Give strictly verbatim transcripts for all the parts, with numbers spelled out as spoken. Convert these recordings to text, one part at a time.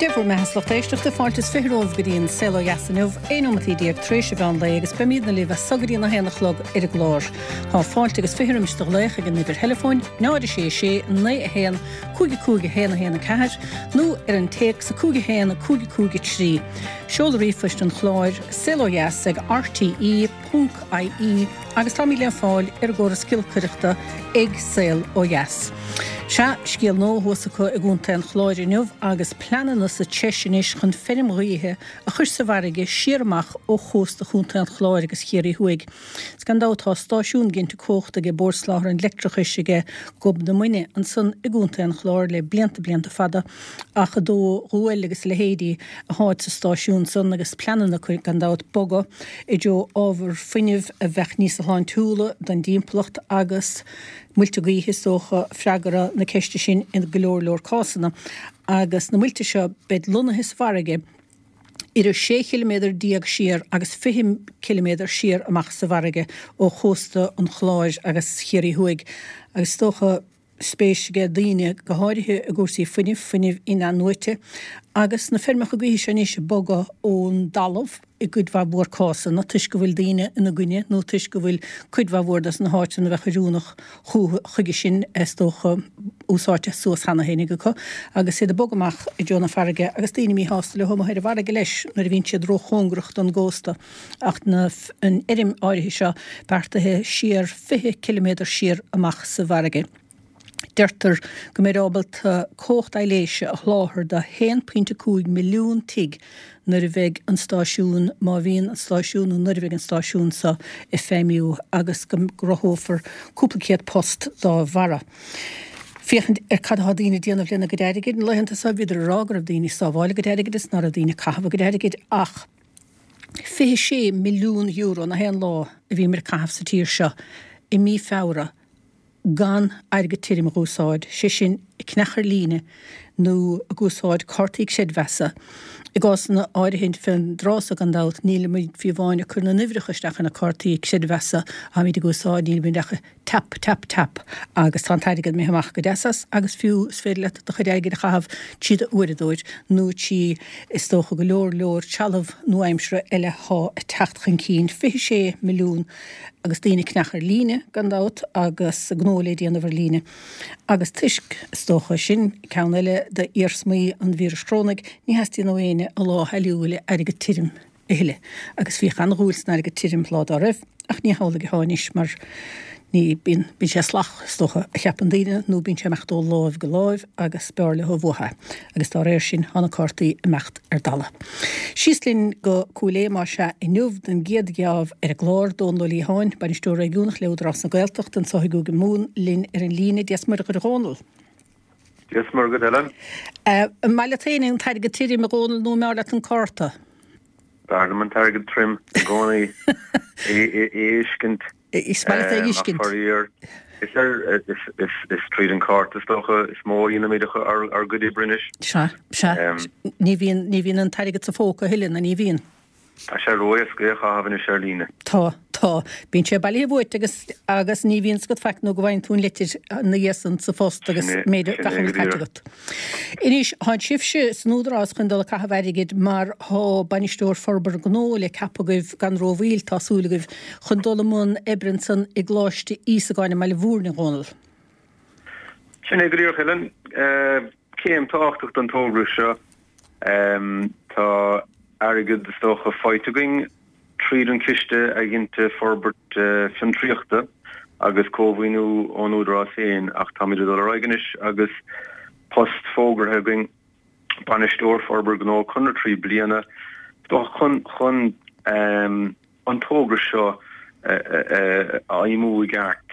Dia bhur mbeatha, a lucht éisteachta, fáilte is fiche romhaibh go dtí an Saol Ó Dheas inniu, aon nóimeataí déag tar éis an mheán lae agus beimidne libh as so go dtí a haon a chlog ar an gclár. Tá fáilte agus fiche roimis do ghlaoch ag an uimhir theileafóin, náid a sé sé naoi a haon cúig a cúig a haon a haon a ceathair nó ar an téacs a cúig a haon a cúig a cúig a trí. Seoladh ríomhphoist an chláir, saolodheas ag R T E ponc I E agus táimid le fáil ar an gcóras giolcaireachta ag Saol Ó Dheas. Sea, scéal nua thuas acu i gContae an Chláir inniu agus pleananna sa treis anois chun feirm ghaoithe a chur sa bhfarraige siar amach ó chósta Chontae an Chláir agus Chiarraí Thuaidh. Is gan dabht tá stáisiún ginte cumhachta ag Bord Soláthair an Leictreachais ag Gob na Muine ansan i gContae an Chláir le blianta blianta fada ach ag dó guail agus leithéidí atá sa stáisiún san agus pleananna gan dabht bogadh i dtreo ábhar fuinnimh a bheadh níos sláintiúla don dtimpeallacht agus muilte gaoithe is dócha freagra na ceiste sin in go leor leor cásanna agus na muilte seo beid lonnaithe sa bhfarraige idir sé chiliméadar déag siar agus fiche ciliméadar siar amach sa bhfarraige ó chósta an Chláir agus Chiarraí Thuaidh agus is dócha spéis ag daoine go háirithe i gcúrsaí fuinnimh fuinnimh in-athnuaite agus na feirmeacha gaoithe seo anois bogadh ón dtalamh i gcuid mhaith mhór cásanna toisc go bhfuil daoine ina gcoinne nó toisc go bhfuil cuid mhaith mhór des na háiteanna a bheadh oiriúnach chuige sin is dócha úsáidte suas cheana féin acu agus iad ag bogadh amach i dtreo na farraige agus daoine míshásta leo amuigh ar an bhfarraige leis nuair a bhíonn siad róchóngarach don gcósta ach na an fheirm áirithe seo beartaithe siar fiche ciliméadar siar amach sa bhfarraige. Deirtear go mbeidh ábalta cumhacht aibhléise a sholáthar do haon pointe cúig milliún tigh nuair a bheidh an stáisiún má bhíonn an stáisiún nó nuair a bheidh an stáisiún seo ag feidhmiú agus go gcruthófar cúpla céad post dá bharra. Féachaint ar cad atá daoine déanamh lena gcuid airgid na laethanta seo bhíodar ag rá go raibh daoine sábháil a gcuid airgid is ná raibh daoine caitheamh a gcuid airgid ach fiche sé milliún euro na haon lá a bhí mar caitheamh sa tír seo i mí Feabhra gan airgead tirim a úsáid, sé sin ag ceannach ar líne nó ag úsáid cártaí creidmheasa. I gcásanna áirithe fén dtráth so gan dabht nílimid fiú amháin ag cur na n-uimhreacha isteach ina cártaí creidmheasa atáimid ag úsáid nílimid ach tap tap tap agus tá an t-airgead imithe amach go deas as agus fiú is féidir leat do chuid airgid a chaitheamh trí d'uaireadóir nó trí is dócha go leor leor trealamh nua-aimseartha eile atá ag teacht chun cinn fiche sé milliún agus daoine ag ceannach ar líne gan dabht agus gnó le déanamh ar líne. Agus toisc is dócha sin ceann eile d'iarsmaí an víris chrónaigh ní theastaíonn ó éinne a lá a shaileáil le airgead tirim a thuilleadh. Agus bhíodh an-dhúil san airgead tirim lá dá raibh ach ní hamhlaidh atá anois mar ní bíonn bíonn sé salach is dócha a cheapann daoine nó bíonn sé imeacht ó láimh go láimh agus b'fhearr leo uathu agus dá réir sin tá na cártaí imeacht ar dalladh. Síos linn go Cúil Aodha más ea inniu don gcéad gheábh ar an gclár Dónal Ó Liatháin, bainisteoir réigiúnach le Údarás na Gaeltachta anseo i gCúige Mumhan linn ar an líne Dia is Muire dhuit a Dhónaill. Dia is Muire dhuit Helen. An maith leat féin an t-airgead tirim a Dhónaill nó an mb'fhearr leat an cárta? B'fhearr liom an t-airgead tirim i gcónaí é fheiscint. Is maith leat é fheiscint. Is ar is tríd an cárta is dócha is mó a dhéanaimid ár ár gcuid oibre anois. Sea sea ní bhíonn ní bhíonn an t-airgead sa phóca a thuilleadh na ní bhíonn. Tá sé ró-éasca é a chaitheamh anois ar líne. Tá tá bíonn sé bailithe uait agus agus ní bhíonn agat faic nó go bhfaigheann tú an litir ina dhiaidh san sa phost agus méid gach a bhfuil caite agat. Anois tá sibhse san Údarás chun dul ag caitheamh airgid mar tá bainisteoir forbartha gnó le ceapadh agaibh gan rómhoill tá súil agaibh chun dul i mbun oibre ansan i gColáiste Íosagáin i mBaile Bhúirne Dhónaill. Sin é go díreach Helen céim tábhachtach don togra seo tá airgead is dócha faighte againn tríd an ciste a ginte forbairt fiontraíochta agus cómhaoiniú ón Údarás féin ach táimid ag dul ar aghaidh anois agus post fógartha againn bainisteoir forbartha gnó conradh trí bliana chun chun an togra seo a fheidhmiú i gceart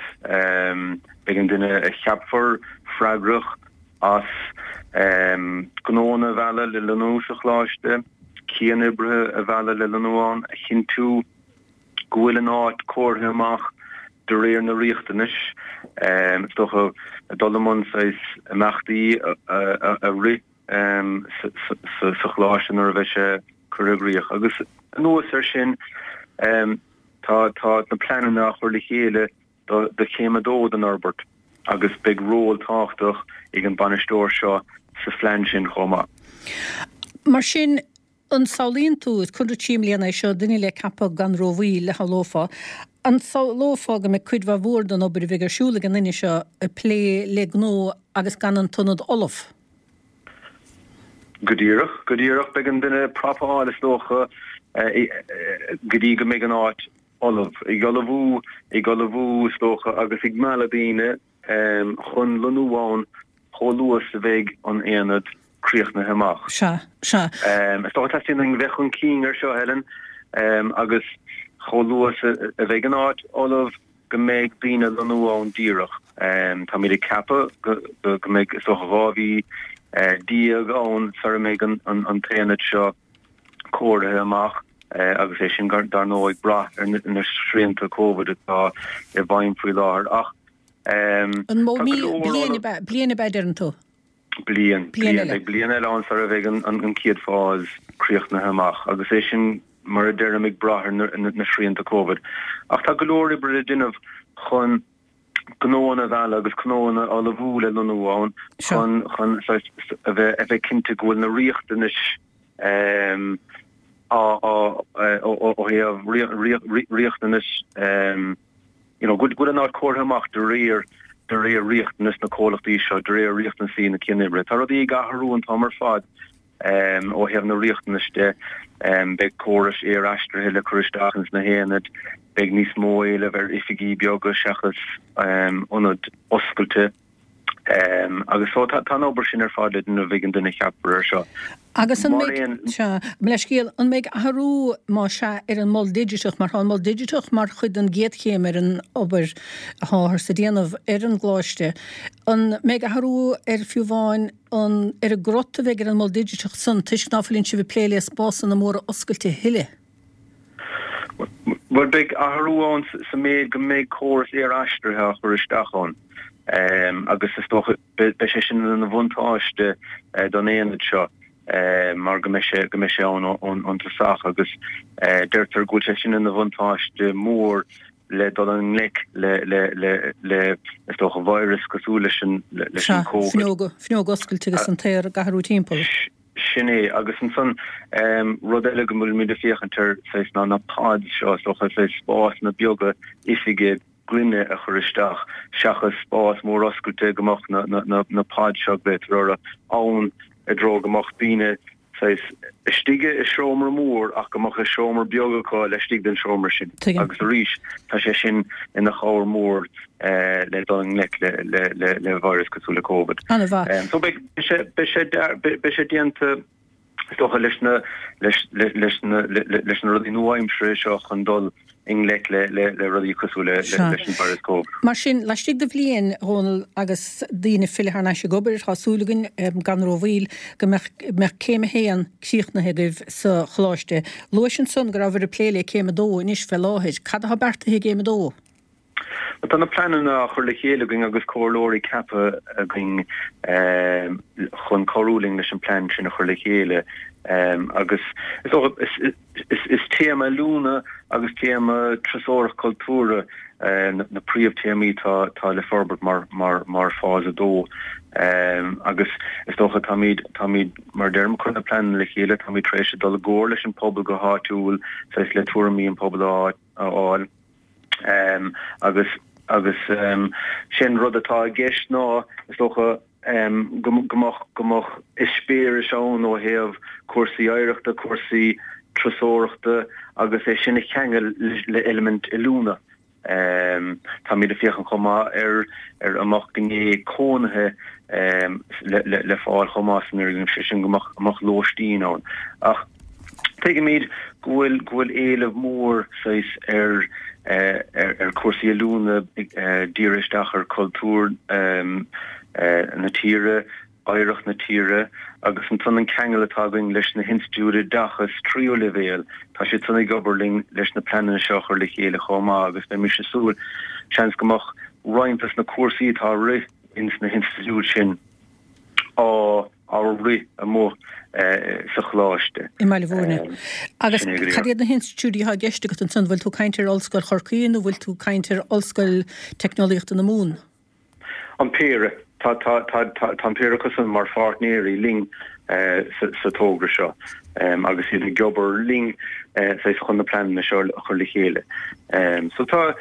beidh an duine a cheapfar freagrach as gnónna a mhealladh le lonnú sa choláiste, cianoibrithe a mhealladh le lonnú ann, a chinntiú go bhfuil an áit cóirithe amach de réir na riachtanais, is dócha dul i mbun saghas imeachtaí a rith sa choláiste nuair a bheidh sé curtha i gcrích. Agus anuas air sin tá tá na pleananna á chur le chéile do chéim a dó den fhorbairt agus beidh ról tábhachtach ag an bainisteoir seo sa phlean sin chomh maith. Mar sin, an samhlaíonn tú, is conradh trí mbliana é seo, duine le ceapadh gan rómhoill a shamhlófá, an samhlófá go mbeidh cuid mhaith mhór den obair a bheidh ar siúl ag an nduine seo ag plé le gnó agus gan an t-ionad ullamh? Go díreach, go díreach. Beidh an duine ag prapáil is dócha go dtí go mbeidh an áit ullamh. Ag ullmhú, ag ullmhú is dócha agus ag mealladh daoine chun lonnú ann chomh luath is a bheidh an aonad críochnaithe amach. Sea, sea. Is dócha teastaíonn uainn bheith chun cinn ar seo, Helen, agus chomh luath is a bheidh an áit ullamh go mbeidh daoine ag lonnú ann díreach. Táimid ag ceapadh go mbeidh is dócha dhá mhí déag ann sara mbeidh an t-aonad seo cóirithe amach agus é sin dar ndóigh ag brath ar na srianta Covid atá i bhfeidhm faoi láthair. Ach An mó mí, bliain ab ea, bliain ab ea a deireann tú? Bliain, bliain eile. Beidh bliain eile ann sara bheidh an chéad phase críochnaithe amach agus é sin, mar a deirim, ag brath ar na srianta Covid. Ach tá go leor oibre le déanamh chun gnóanna a mhealladh agus gnóanna a ullmhú le lonnú ann chun chun a bheith a bheith cinnte go bhfuil na riachtanais á á ó thaobh riachtanais you know go bhfuil an áit cóirithe amach de réir de réir riachtanas na comhlachtaí seo, de réir riachtanaisí na cianoibre. Tá rudaí ag athrú an t-am ar fad ó thaobh na riachtanais de. Beidh córais aer-aistrithe le cur isteach ins na haonaid, beidh níos mó éileamh ar oifigí beaga seachas ionaid oscailte. Agus so tá an obair sin ar fad le déanamh ag an duine a cheapfar air seo. Agus an mbeidh, sea, mo leithscéal, an mbeidh athrú, más ea, ar an Mol Digiteach, mar tá an Mol Digiteach mar chuid den gcéad chéim ar an obair atáthar a déanamh ar an gColáiste, an mbeidh athrú ar fiú amháin an, ar an gcrot a bheidh ar an Mol Digiteach san, toisc ná fuileann sibh ag plé le spásanna móra oscailte a thuilleadh? Bhuel, beidh athrú ann sa méid go mbeidh córas aer-aistrithe á chur isteach ann agus is dócha beidh sé sin ina bhuntáiste don aonad seo mar go mbeidh sé go mbeidh sé ann ón tosach agus deirtear go bhfuil sé sin ina bhuntáiste mór le dul i ngleic le le le le is dócha virus cosúil leis an leis an Covid. Sea, fuinneog oscailte agus an t-aer ag athrú timpeall. Sin é. Agus ansan, rud eile go bhfuilimid ag féachaint air, saghas, ná na pods seo, is dócha, saghas spásanna beaga oifige gloine a chur isteach, seachas spás mór oscailte go mbeadh na, na, na, na pods seo, glaotar orthu, ann i dtreo go mbeadh daoine, saghas, istigh i seomra mór ach go mbeadh seomra beag acu laistigh den seomra sin. Tuigim. Agus arís, tá sé sin ina chabhair mhór le dul i ngleic le virus cosúil le Covid. An-mhaith. So beidh sé beidh sé beidh sé déanta is dócha leis na leis leis na leis na rudaí nua-aimseartha seo chun dul i ngleic le le le rudaí cosúil le leis an virus Covid. Mar sin, laistigh de bhliain, a Dhónaill, agus daoine ag filleadh thar n-ais ag obair, tá súil againn, gan rómhoill, go mbeadh mbeadh céim a haon críochnaithe agaibh sa choláiste. Luais ansan go rabhabhair ag plé le céim a dó anois fé láthair. Cad atá beartaithe i gcéim a dó? Tá na pleananna á chur le chéile againn agus comhairleoirí ceaptha againn chun cabhrú linn leis an plean sin a chur le chéile agus is dócha is téama oiliúna agus téama turasóireacht cultúrtha na príomhthéamaí atá le forbairt mar phase a dó agus is dócha táimid táimid mar a deirim ag cur na pleananna le chéile, táimid tar éis dul i gcomhar leis an pobal go háitiúil saghas le tuairimí an pobail a fháil. Agus agus sé an rud atá i gceist ná, is dócha, go mbeadh go mbeadh eispéiris ann ó thaobh cúrsaí oidhreachta, cúrsaí turasóireachta agus é sin a cheangal le eilimint oiliúna. Táimid ag féachaint chomh maith ar ar an mbeadh gné cónaithe le le fáil chomh maith san fhoirgneamh, sé sin go mbeadh go mbeadh lóistín ann. Ach Tuigimid go bhfuil go bhfuil éileamh mór saghas ar ar chúrsaí oiliúna dírithe isteach ar chultúr na tíre, oidhreacht na tíre agus ansan an ceangal atá againn leis na hinstitiúidí oideachais tríú leibhéal, tá siad san ag obair linn leis na pleananna seo a chur le chéile chomh maith agus beimis ag súil seans go mbeadh roinnt des na cúrsaí atá á rith ins na hinstitiúidí sin á á rith amuigh sa choláiste. I mBaile Bhúirne. Agus cad iad na hinstitiúidí atá i gceist agat ansan? Bhfuil tú ag caint ar Ollscoil Chorcaí nó bhfuil tú ag caint ar Ollscoil Teicneolaíochta na Mumhan? An péire. Tá, tá, tá, tá, tá an péire acu san mar pháirtnéirí linn sa togra seo agus iad ag obair linn saghas chun na pleananna seo a chur le chéile. So tá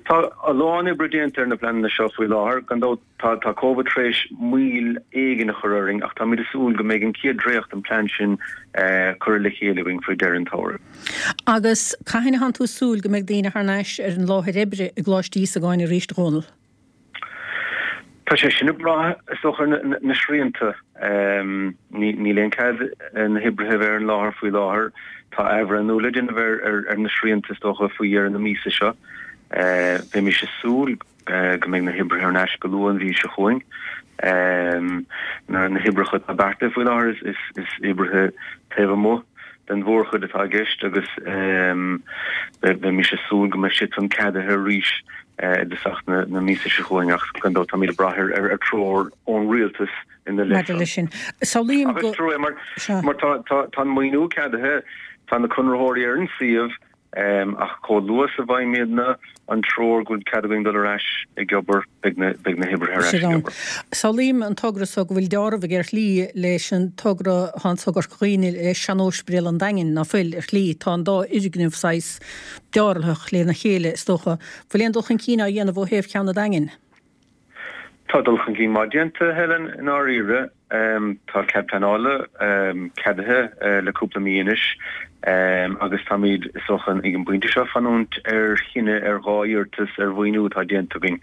tá a lán oibre déanta ar na pleananna seo faoi láthair, gan dabht tá tá Covid tar éis moill éigin a chur orainn ach táimid ag súil go mbeidh an chéad dréacht den plean sin curtha le chéile againn faoi dheireadh an tsamhraidh. Agus cathain atánn tú ag súil go mbeidh daoine thar n-ais ar an láthair oibre i gColáiste Íosagáin arís, a Dhónaill? Tá sé sin ag brath is dócha ar na srianta. Níl aon cead na hoibrithe bheith ar an láthair faoi láthair. Tá athbhreithniú le déanamh ar na srianta is dócha faoi dheireadh na míosa seo. Bheimis ag súil go mbeidh na hoibrithe ar ais go luath an mhí seo chugainn. Na hoibreacha atá beartaithe faoi láthair is oibrithe taobh amuigh den mhórchuid atá i gceist agus bheimis ag súil go mbeidh siad san ceadaithe arís i dtosach na míosa seo chugainn ach gan dabht táimid ag brath ar treoir ón rialtas ina leith Maidir leis sin. Samhlaím go. Agus mar mar tá tá an maoiniú ceadaithe, tá na conraitheoirí ar an suíomh, Ach chomh luath is a bhfaighimidne an treoir go bhfuil cead againn dul ar ais ag obair, beidh na hoibrithe ar ais ag obair. Samhlaím an togra so go bhfuil dealramh ar shlí leis an togra atá anso i gCorca Dhuibhne le sean-Ospidéal an Daingin, ná fuil, ar shlí. Tá an dá fhoirgneamh saghas dealraitheach lena chéile, is dócha. Bhfuil aon dul chun cinn á dhéanamh ó thaobh ceann an Daingin? Tá dul chun cinn maith déanta, Helen, i ndáiríre. Tá cead pleanála ceadaithe le cúpla mí anois agus táimid, is dócha, ag an bpointe seo, fanúint ar chinneadh ar dhá iarratas ar mhaoiniú atá déanta againn,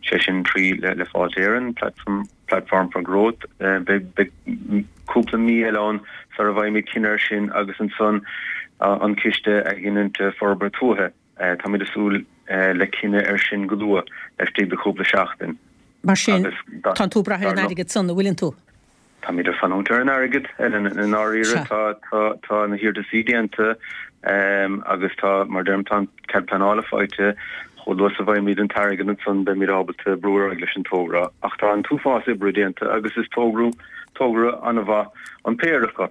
sé sin trí le Fáilte Éireann, Platform for Growth. Beidh cúpla mí eile ann sara bhfaighimid cinneadh air sin agus ansan an Ciste Athghiniúna Forbartha Tuaithe. Táimid ag súil le cinneadh air sin go luath, laistigh de chúpla seachtain. Mar sin, tánn tú ag brath ar an airgead san, an bhfuileann tú? Táimid ag fanúint ar an airgead, Helen, i ndáiríre. Tá, tá, tá na hiarrataisí déanta agus tá, mar deirim, tá an cead pleanála faighte. Chomh luath is a bhfaighimid an t-airgead ansan beimid ábalta brú ar aghaidh leis an togra. Ach tá an t-uafás oibre déanta agus is togra, togra an-mhaith an péire acu. a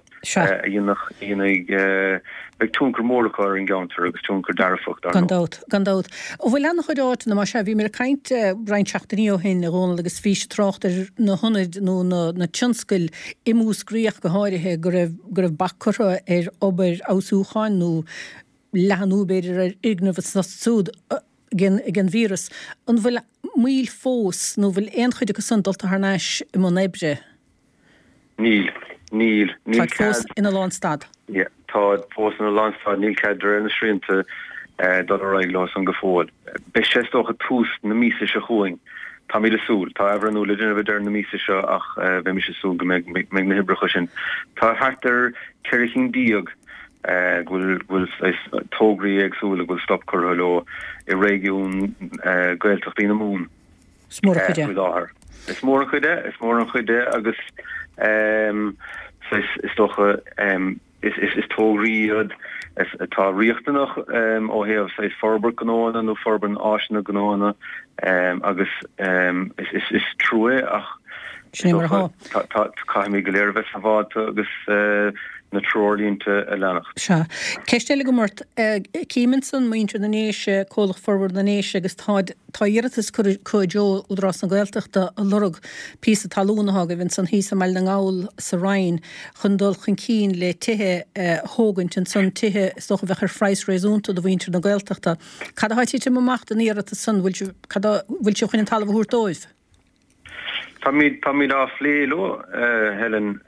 dhéanfaidh, beidh tionchar mór acu ar an gceantar agus tionchar dearfach dar ndóigh. Gan dabht, gan dabht. An bhfuil an-chuid áiteanna, más ea, bhíomar ag caint roinnt seachtainí ó shin, a Dhónaill, agus bhís ag trácht ar na hionaid nó na na tionscail i Múscraí ach go háirithe, go raibh, go raibh bac curtha ar obair fheabhsúcháin nó leathnú b'fhéidir ar fhoirgnimh anso is ansúd ag an víreas. An bhfuil moill fós nó bhfuil aon chuid acu san dulta thar n-ais i mbun oibre? Níl. Níl. Níl Táid fós cead. ina lánstad. Yeah. Táid fós ina lánstad. Níl cead de réir na srianta dul ar aghaidh leo san go fóill. Beidh sé is dócha tús na míosa seo chugainn. Táimid ag súil. Tá athbhreithniú le déanamh ag deireadh na míosa seo ach bheimis ag súil go mbeidh mbeidh na hoibreacha sin. Tá thart ar ceithre chinn déag go bhfuil go bhfuil saghas tograí éagsúla go bhfuil stop curtha leo i réigiún Gaeltachtaí na Mumhan. Is mór an chuid é. Faoi láthair. Is mór an chuid é, is mór an chuid é agus is dócha is tograí iad atá riachtanach ó thaobh saghas forbairt gnóanna nó forbairt áiseanna gnóanna agus is trua é ach Sin é mar atá. Caithfimid go léir a bheith sábháilte agus na treoirlínte a leanacht. Sea. Ceist eile agam ort. Cím ansan muintir na nDéise, Comhlacht Forbartha na nDéise agus táid, tá iarratas curtha acu i dtreo Údarás na Gaeltachta ag lorg píosa talún atá agaibh ansan thíos i mBaile na nGall sa Rinn chun dul chun cinn le tithe a thógaint ansan, tithe is dócha a bheadh ar phraghas réasúnta do mhuintir na Gaeltachta. Cad atá ag titim amach den iarratas san? Bhfuil sibh, cad a, bhfuil sibh chun an talamh a thabhairt dóibh? Táimid, táimid á phlé leo, Helen.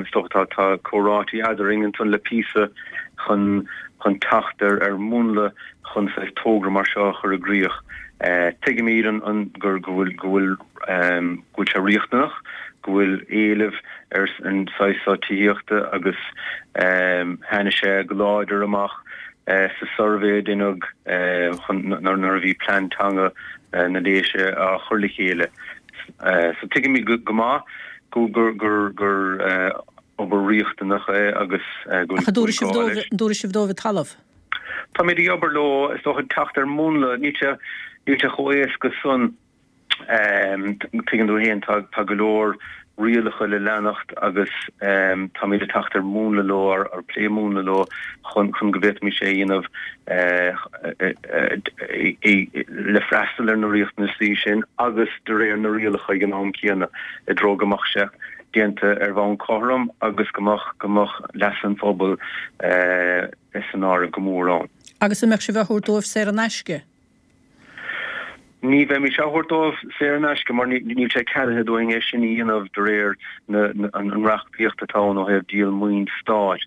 Is dócha tá, tá comhráití eadrainn ansan le píosa chun, chun teacht ar, ar mhúnla chun saghas togra mar seo a chur i gcrích. Tuigimid an, an, gur, go bhfuil, go bhfuil, go bhfuil sé riachtanach, go bhfuil éileamh ar an saghas seo tithíochta agus tháinig sé go láidir amach sa suirbhé a deineadh chun, nuair, nuair a bhí plean teanga na nDéise á chur le chéile. So tuigimid go maith gur gur obair riachtanach é agus go Ach an dtabharfaidh sibh dóibh, an dtabharfaidh sibh dóibh an talamh? Táimid ag obair leo, is dócha, teacht ar mhúnla. Níl sé, níl sé chomh éasca san. Tuigeann tú féin, tá tá go leor rialacha le leanacht agus táimid ag teacht ar mhúnla leo, ar ar plé múnla leo chun chun go bhféadfaimis é a dhéanamh le freastal ar na riachtanaisí sin agus de réir na rialacha ag an am céanna i dtreo go mbeadh sé déanta ar bhonn cothrom agus go mbeadh go mbeadh leas an phobail san áireamh go mór ann. Agus an mbeadh sibh á thabhairt dóibh saor in aisce? Ní bheimid á thabhairt dóibh saor in aisce mar níl sé ceadaithe dúinn é sin a dhéanamh de réir an reachtaíocht atá ann ó thaobh díol maoin stáit.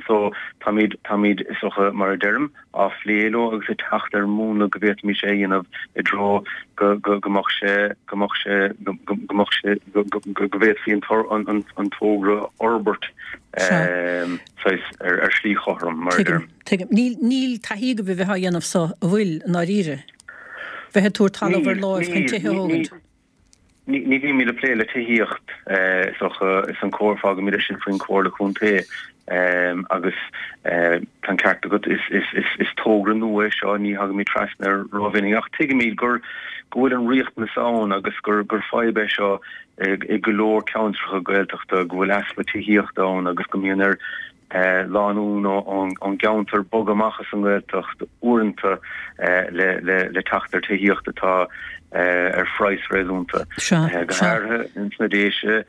So táimid, táimid, is dócha, mar a deirim, á phlé leo agus ag teacht ar mhúnla go bhféadfaimis é a dhéanamh i dtreo go go go mbeadh sé, go mbeadh sé, go go mbeadh sé, go go go bhféadfaí an an togra a fhorbairt saghas ar ar shlí chothrom, mar a deirim. Tuigim, tuigim. Níl, níl taithí agaibh a bheith á dhéanamh so, an bhfuil, i ndáiríre? Bheith ag tabhairt talamh ar láimh chun tithe a thógaint. Ní bhímid ag plé le tithíocht, is dócha, is an comhar, fágaimid é sin faoin Chomhairle Contae agus tá an ceart agat, is togra nua é seo, ní thagaimid trasna air rómhinic ach tuigimid gur go bhfuil an riachtanas ann agus gur gur fadhb é seo i go leor ceantracha Gaeltachta, go bhfuil easpa tithíochta ann agus go mbíonn ar lánúin ón gceantar bogadh amach as an nGaeltacht uaireanta le teacht ar tithíocht atá ar phraghas réasúnta. Go háirithe ins na Déise,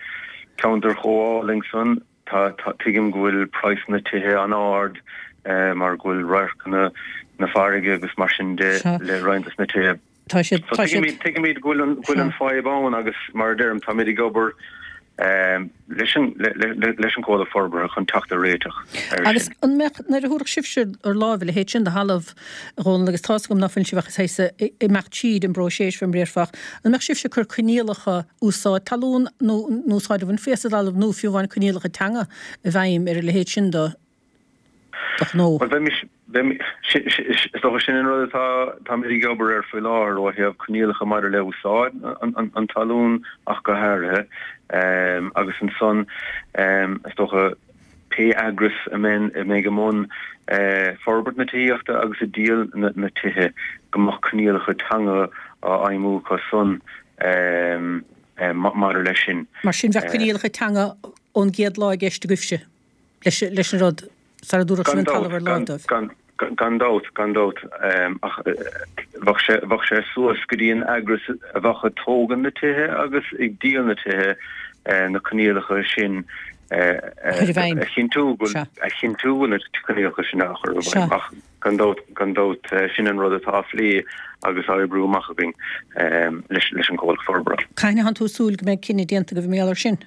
ceantar chomh álainn san, tuigim go bhfuil praghsanna tithe an-ard mar go bhfuil radharcanna na farraige agus mar sin de le roinnt des na tithe. Tá siad, tá siad. Tuigimid go bhfuil an fadhb ann agus mar a deirim, táimid ag obair leis an leis an gcomhlacht forbartha chun teacht ar réiteach air sin. Agus an mbeadh, nuair a thabharfadh sibhse ar láimh a leithéid sin de thalamh, a Dhónaill, agus tá's agam ná fuil sibh ach saghas ag imeacht tríd an bpróiseas fé mar a déarfá, an mbeadh sibhse ag cur coinníollacha úsáid talún nó nó úsáid a bhainfí as an dtalamh nó fiú amháin coinníollacha teanga i bhfeidhm ar a leithéid sin de de ghnó? Bhuel, bheimis, bheimis, is dócha sin an rud atá, táimid ag obair air faoi láthair ó thaobh coinníollacha maidir le úsáid an, an talún ach go háirithe. Agus ansan, is dócha, pé eagras a mbeidh, a mbeidh i mbun forbairt na tithíochta agus ag díol na, na tithe, go mbeadh coinníollacha teanga á fheidhmiú acu san maidir leis sin. Mar sin, bheadh coinníollacha teanga ón gcéad lá i gceist agaibhse leis, leis an rud? Sara dtabharfadh sibh an talamh ar láimh dóibh. Gan dabht, gan dabht. Ach bheadh sé, bheadh sé suas go dtí an eagras a bheadh ag tógaint na tithe agus ag díol na tithe na coinníollacha sin a chinntiú go, a chinntiú go bhfuil na coinníollacha sin á chur i bhfeidhm. Ach gan dabht, gan dabht, sin an rud atá á phlé agus á oibriú amach againn leis, leis an gcomhlacht forbartha. Cathain atánn tú ag súil go mbeidh cinneadh déanta agaibh mar gheall air sin?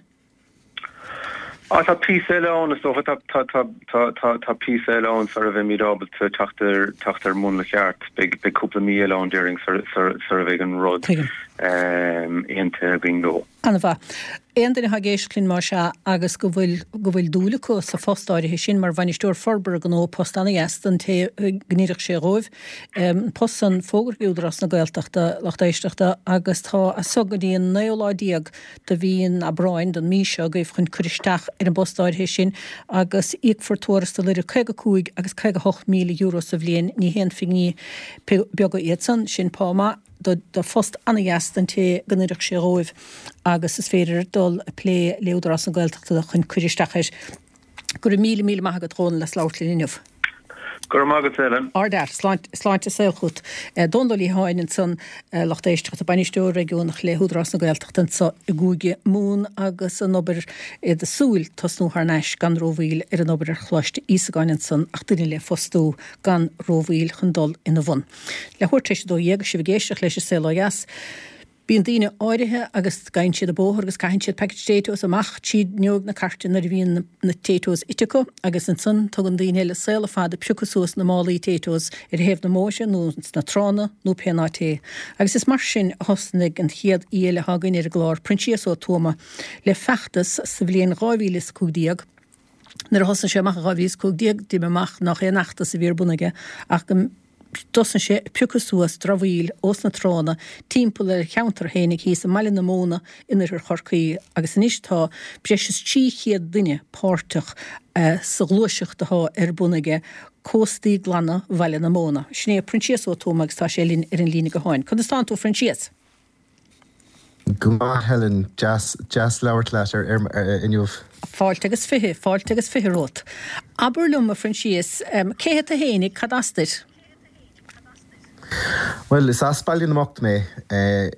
Á, tá píosa eile ann, is dócha. Tá, tá, tá, tá, tá, tá píosa eile ann sara bheimid ábalta teacht ar, teacht ar mhúnla ceart. Beidh, beidh cúpla mí eile ann, déarfainn, sar, sar, sar a bheidh an rud Tuigim. aontaithe againn leo. An-mhaith. Aon duine atá ag éisteacht linn, más ea, agus go bhfuil, go bhfuil dúil acu sa phost áirithe sin mar bhainisteoir forbartha gnó, post an-dheas don té go n-oirfeadh sé dhóibh, an post san fógartha ag Údarás na Gaeltachta, lucht éisteachta, agus tá as so go dtí an naoú lá déag de mhí an Aibreáin, den mhí seo agaibh chun cur isteach ar an bpost áirithe sin agus íocfar tuarastal idir caoga cúig agus caoga hocht míle euro sa bhliain. Ní haon phingní beaga iad san. Sin pá maith do do phost an-dheas don té go n-oirfeadh sé dhóibh agus is féidir dul ag plé le Údarás na Gaeltachta chun cur isteach air. Go raibh míle míle maith agat, a Dhónaill, as labhairt linn inniu. Go raibh maith agat, Helen. Ardfhear. Sláinte, sláinte is saol chugat. Dónal Ó Liatháin ansan, lucht éisteachta, Bainisteoir Réigiúnach le hÚdarás na Gaeltachta anso i gCúige Mumhan agus an obair, iad ag súil tosnú thar n-ais gan rómhoill ar an obair ar Choláiste Íosagáin ansan ach duine le fostú gan rómhoill chun dul ina bhun. Leathuair tar éis a dó dhéag, sibh ag éisteacht leis an Saol Ó Dheas. Bíonn daoine áirithe agus gabhann siad an bóthar agus caitheann siad packet Taytos amach tríd fhuinneog na cairte nuair a bhíonn na Taytos ite acu agus ansan tugann daoine eile saol fada ag piocadh suas na málaí Taytos ar thaobh na mbóithre nó sna tránna nó pé áit é. Agus is mar sin a thosnaigh an chéad aoi eile atá againn ar an gclár, Proinsias Ó Tuama, le feachtas sa bhliain dhá mhíle is a cúig déag. Nuair a thosnaigh sé amach i dhá mhíle is a cúig déag d'imigh amach nách aon fheachtas a bhí ar bun aige ach go dtosnaigh sé ag piocadh suas dramhaíl ós na tránna timpeall ar a cheantar fhéinig thíos i mBaile na Móna in oirthear Chorcaí agus anois tá breis is trí chéad duine páirteach sa ghluaiseacht atá ar bun aige, Cóstaí Glana Bhaile na Móna. Sin é Proinsias Ó Tuama agus tá sé linn ar an líne gutháin. Conas tánn tú, a Phroinsias? Go maith Helen, deas deas labhairt leat ar ar inniu. Fáilte agus fiche, fáilte agus fiche romhat. Abair liom, a Phroinsias, cé hiad tú fhéinig, cad as duit? Well, is as Baile na mBocht mé eh,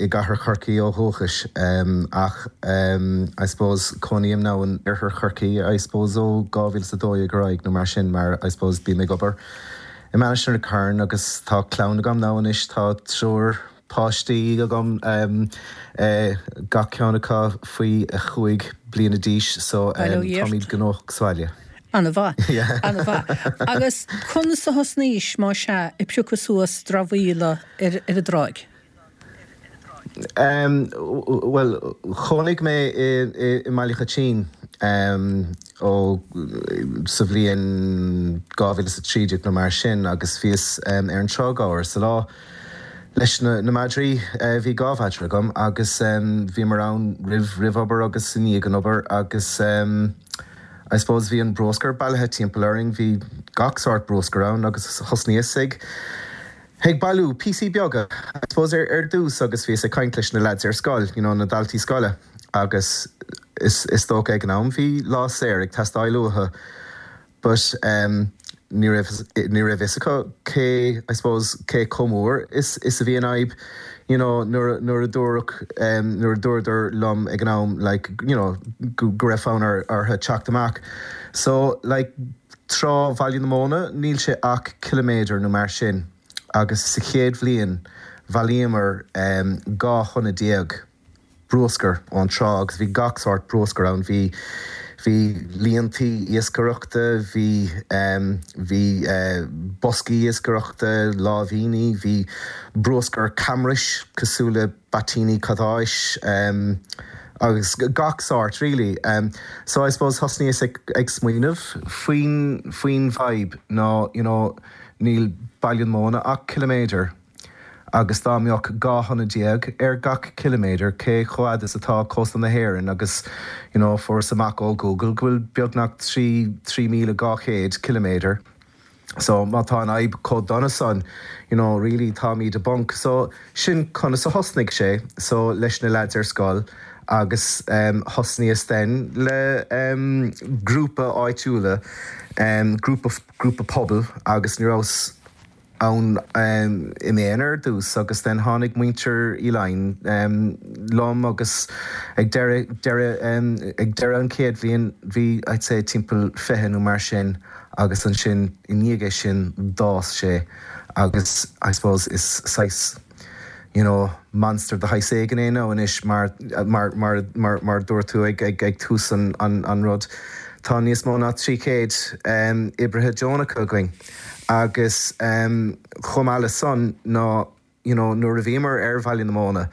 i gcathair Chorcaí ó dhúchas um, ach um, I suppose cónaím now in oirthear Chorcaí I suppose ó dhá mhíle is a dó dhéag ar aghaidh nó mar sin mar I suppose bím ag obair i Mainistir na Carn agus tá clann agam now anois tá triúr páistí agam um, eh, gach ceann acu faoi a chúig bliana d'aois so um, táimid gnóthach sa bhaile. An-mhaith an-mhaith. Agus conas a thosnaís má sea ag piocadh suas dramhaíola ar ar an dtráigh? Um, well, chónaigh mé i, i, i mBaile Choitín um, ó sa bhliain dhá mhíle is a trí déag nó mar sin agus bhíos um, ar an trá gach uile lá leis na, na madraí uh, bhí dhá mhadra agam agus um, bhíomar ann roimh roimh obair agus i ndiaidh an obair agus um, I suppose bhí an bruscar bailithe timpeall orainn, bhí gach sórt bruscar ann agus thosnaíos ag ag bailiú píosaí beaga. I suppose ar ar dtús agus bhíos ag caint leis na lads ar scoil, you know, na daltaí scoile agus is is dócha ag an am bhí lá saor ag teastáil uathu. But um, ní raibh ní raibh fhios acu cé I suppose cé chomh mór is is a bhí an fhadhb you know nuair nuair a dúradh um, nuair a dúradar liom ag an am like you know go go raibh fonn ar orthu teacht amach. So like trá Bhaile na Móna níl sé ach ciliméadar nó mar sin agus sa chéad bhliain bhailíomar um, dhá thonna déag bruscar ón trá agus bhí gach sórt bruscar ann bhí bhí líontaí iascaireachta, bhí um, bhí uh, boscaí iascaireachta, láimhíní, bhí bruscar camrais cosúil le baitíní cadáis um, agus gach sórt really. Um, so I suppose thosnaíos ag, ag smaoineamh faoin faoin bhfadhb ná you know, níl Baile na Móna ach ciliméadar agus dá mbeadh dhá thonna déag ar gach ciliméadar cé chomh fada is atá cósta na hÉireann agus you know, fuaireas amach ó Google go bhfuil beagnach trí trí míle dhá chéad ciliméadar. So má tá an fhadhb chomh dona san, you know, really táimid i bponc. So sin conas a thosnaigh sé so leis na lads ar scoil agus um, thosnaíos then le um, grúpa áitiúla, um, grúpa, grúpa pobail agus ní rabhas ann um, i m'aonar ar dtús agus then tháinig muintir Uí Laighin um, liom agus ag deireadh deireadh um, ag deireadh an chéad bhliain bhí I'd say timpeall fiche nó mar sin agus ansin i ndiaidh sin d'fhás sé agus I suppose is saghas you know, monster de shaghas éigin é now anois mar mar mar mar mar dúirt tú ag ag ag tús an an, an rud. Tá níos mó ná trí chéad um, oibrithe deonacha againn. Agus um, chomh maith le san ná you know, nuair a bhíomar ar Bhaile na Móna,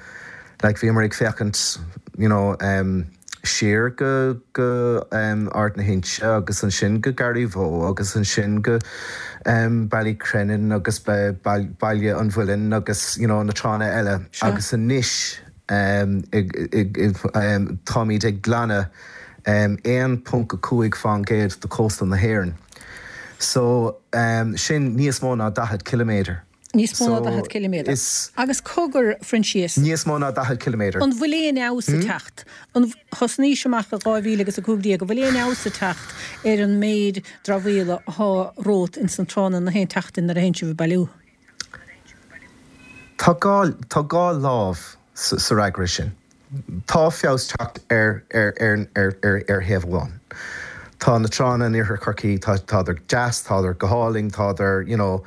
like, bhíomar ag féachaint you know, um, siar go go um, Ard na hInse agus ansin go Garryvoe agus ansin go um, Ballycrennan agus Baile an Mhuilinn agus you know, na tránna eile Sure. agus anois um, um, táimid ag glanadh um, aon ponc a cúig faoin gcéad de chósta na hÉireann. So um, sin níos mó ná daichead ciliméadar. Níos mó ná So, daichead ciliméadar. is- Agus cogar Proinsias. Níos mó ná daichead ciliméadar. An bhfuil aon fheabhas ag teacht. An thosnaís amach i dhá mhíle agus a cúig déag, an bhfuil aon fheabhas ag teacht ar an méid dramhaíola atá romhat ins na tránna na haon tseachtain nuair a théann sibh ag bailiú. Tá dhá tá dhá lámh sa sa fhreagra sin. Tá feabhas teacht ar ar ar ar ar ar thaobh amháin. Tá na tránna in iarthar Chorcaí tá tádar deas, tádar go hálainn, tádar you know,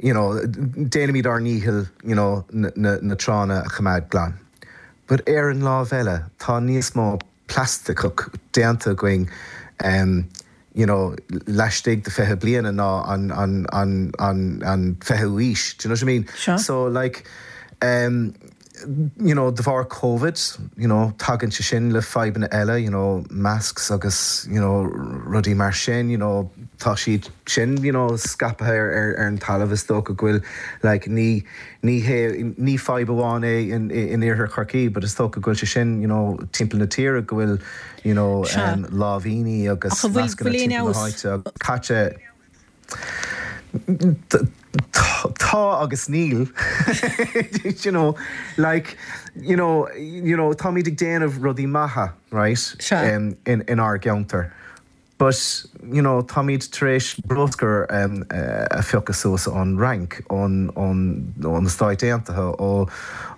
you know, déanaimid ár ndícheall you know, na, na, na tránna a choimeád glan. But ar an lámh eile tá níos mó plaisteach déanta againn um, you know, laistigh de fiche bliana ná an, an, an, an, an fichiú haois. Do you know what I mean? Sure. So like um, you know, de bharr COVID, you know, tagann sé sin le fadhbanna eile, you know, masks agus you know, rudaí mar sin, you know, tá siad sin you know, scaipthe ar, ar, ar an talamh is dócha go bhfuil like, ní ní hé ní fadhb amháin é in, in iarthar Chorcaí, but is dócha go bhfuil sé sin you know, timpeall na tíre go bhfuil you know, Sea. um, láimhíní agus Ach an bhfuil- mascanna bhfuil aon timpeall na fheabhas? háite caite Tá agus níl you know like you know you know táimid ag déanamh rudaí maithe right Sea. um, in in ár gceantar But you know, táimid tar éis bruscar um, uh, a phiocadh suas ón Fhrainc ón ón ón na Stáit Aontaithe ó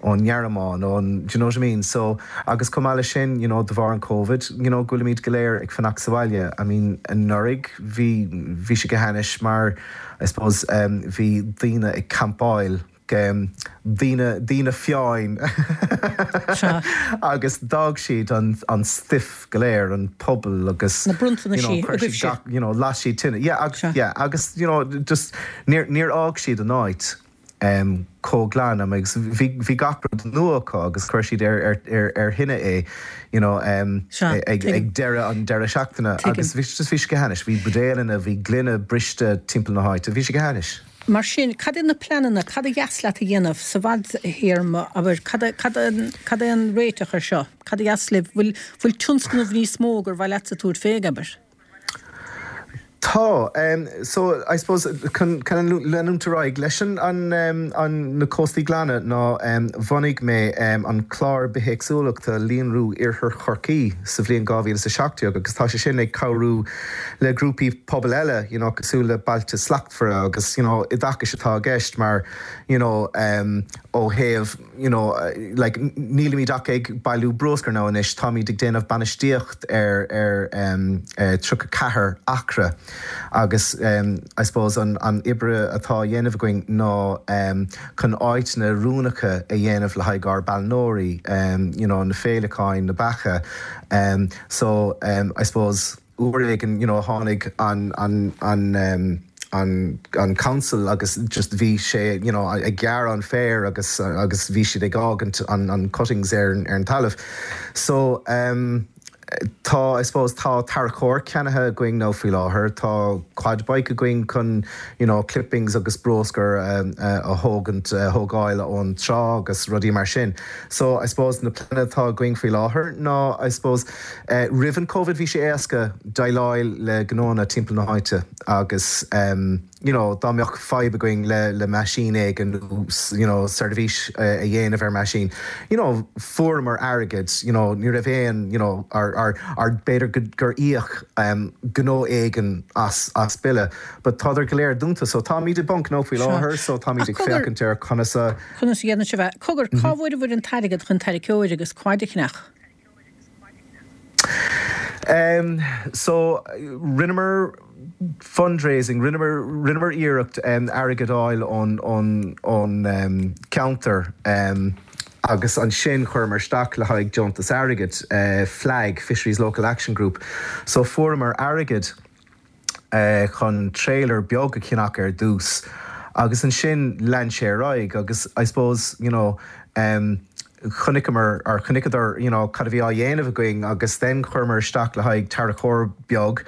ón nGearmáin ón do you know what I mean? So agus chomh maith leis sin you know, de bharr an COVID, you know, go bhfuilimid go léir ag fanacht sa bhaile. I mean anuraidh bhí bhí sé go hainnis mar I suppose um, bhí daoine ag campáil um, daoine daoine fiáin agus d'fhág siad an, an stuif go léir an puball agus Na bronntanna sí you know, las siad tine. Yeah, ag, yeah, agus you know, just níor níor fhág siad an áit um, chomh glan agus bhí bhí gach rud nua acu agus chuir siad ar ar ar ar thine é you know, um, ag, ag deireadh an deireadh seachtaine agus bhí just bhí sé go hainnis, bhí buidéalanna bhí gloine briste timpeall na háite, bhí sé go hainnis. Mar sin, cad é na pleananna, cad ba dheas leat a dhéanamh sa bhfadthéarma abair cad cad é an réiteach ar seo, Cad ba dheas libh bhfuil bhfuil tionscnamh níos mó gur mhaith leat tabhairt faoi abair. Tá um, so I suppose chun leanúint ar aghaidh leis an an, um, an na cóstaí glana ná um, bhunaigh mé um, an clár bithéagsúlachta líonrú Iarthar Chorcaí sa bhliain dhá mhíle sa seacht déag agus tá sé sin ag cabhrú le grúpaí pobail eile you know, cosúil le Bailte Slachtmhara agus you know, oideachas atá i gceist mar you know, um, ó thaobh you know, like, nílimid ach ag bailiú bruscar ná anois táimid ag déanamh bainistíocht ar ar um, uh, tríocha ceathair acra. agus um, I suppose an, an obair atá á dhéanamh againn ná um, chun áiteanna oiriúnacha a dhéanamh le haghaidh ár bpailneoirí um, you know, na féileacáin na beacha. Um, so um, I suppose uair éigin you know, tháinig an, an, an, um, an, an council agus just bhí sé you know, ag gearradh an féar agus agus bhí siad ag fágaint an, an cuttings ar, ar an talamh. So um, tá I suppose tá tarracóir ceannaithe againn nó faoi láthair tá quad bike againn chun you know, clippings agus bruscar um, uh, a thógaint uh, thógáil ón trá agus rudaí mar sin. So I suppose na pleananna atá againn faoi láthair ná I suppose uh, roimh an COVID bhí sé éasca déileáil le gnónna timpeall na háite agus um, you know, dá mbeadh fadhb againn le le meaisín éigin you know, seirbhís uh, a dhéanamh ar meaisín. You know, fuaireamar airgead, you know, ní raibh aon you know, ar ar ar b'fhéidir gur íoc um, gnó éigin as as bille, but tádar go léir dúnta, so táimid i bponc nó faoi láthair, so táimid ag féachaint ar conas a Conas dhéanamh se bheith cogar cá bhfuair bhur an t-airgead chun tarracóir agus quad a cheannach. Um, so rinneamar fundraising rinneamar rinneamar iarracht um, airgead a fháil ón ón ón um, counter um, agus ansin chuireamar isteach le haghaidh deontas airgid uh, flag Fisheries Local Action Group so fuaireamar airgead uh, chun trailer beag a cheannach ar dtús agus ansin lean sé ar aghaidh agus I suppose you know um, chonaiceamar ar chonaiceadar you know, cad a bhí á dhéanamh againn agus then chuireamar isteach le haghaidh tarracóir beag.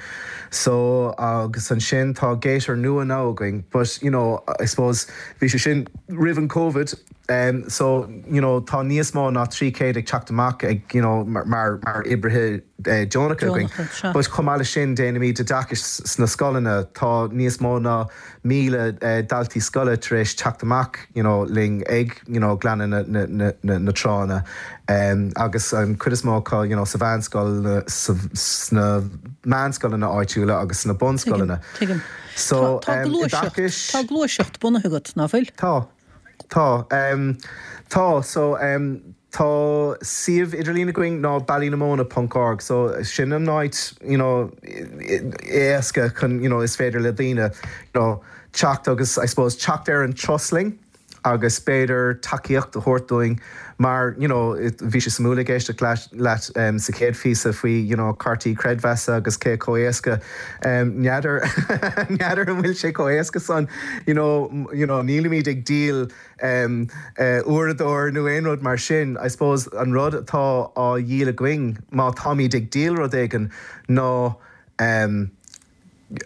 So agus ansin tá Gator nua ná againn, but you know, I suppose bhí sé sin roimh an COVID. Um, so you know, tá níos mó ná trí chéad ag teacht amach ag you know, mar, mar, mar oibrithe uh, deonacha againn. But chomh maith leis sin déanaimid oideachas sna scoileanna tá níos mó ná míle uh, daltaí scoile tar éis teacht amach you know, linn ag you know, glanadh na, na, na, na, na tránna. Um, agus an chuid is mó acu you know, sa mheánscoil sna meánscoileanna áitiúla agus sna bunscoileanna. So tá um, tá gluaiseacht bunaithe agat nach bhfuil? Tá. Tá um, tá so um, tá suíomh idirlín againn ná ballynamona.org so sin an áit you know, éasca chun you know, is féidir le daoine you know, teacht agus I suppose teacht ar an turas linn agus b'fhéidir tacaíocht a thabhairt dúinn mar you know, bhí sé suimiúil ag éisteacht leat leat um, sa chéad phíosa faoi you know, cártaí creidmheasa agus cé chomh héasca um, n'fheadar n'fheadar an bhfuil sé chomh héasca san you know, you know, nílimid ag díol um, uh, uaireadóir nó aon rud mar sin I suppose an rud atá á dhíol againn má táimid ag díol rud éigin ná um,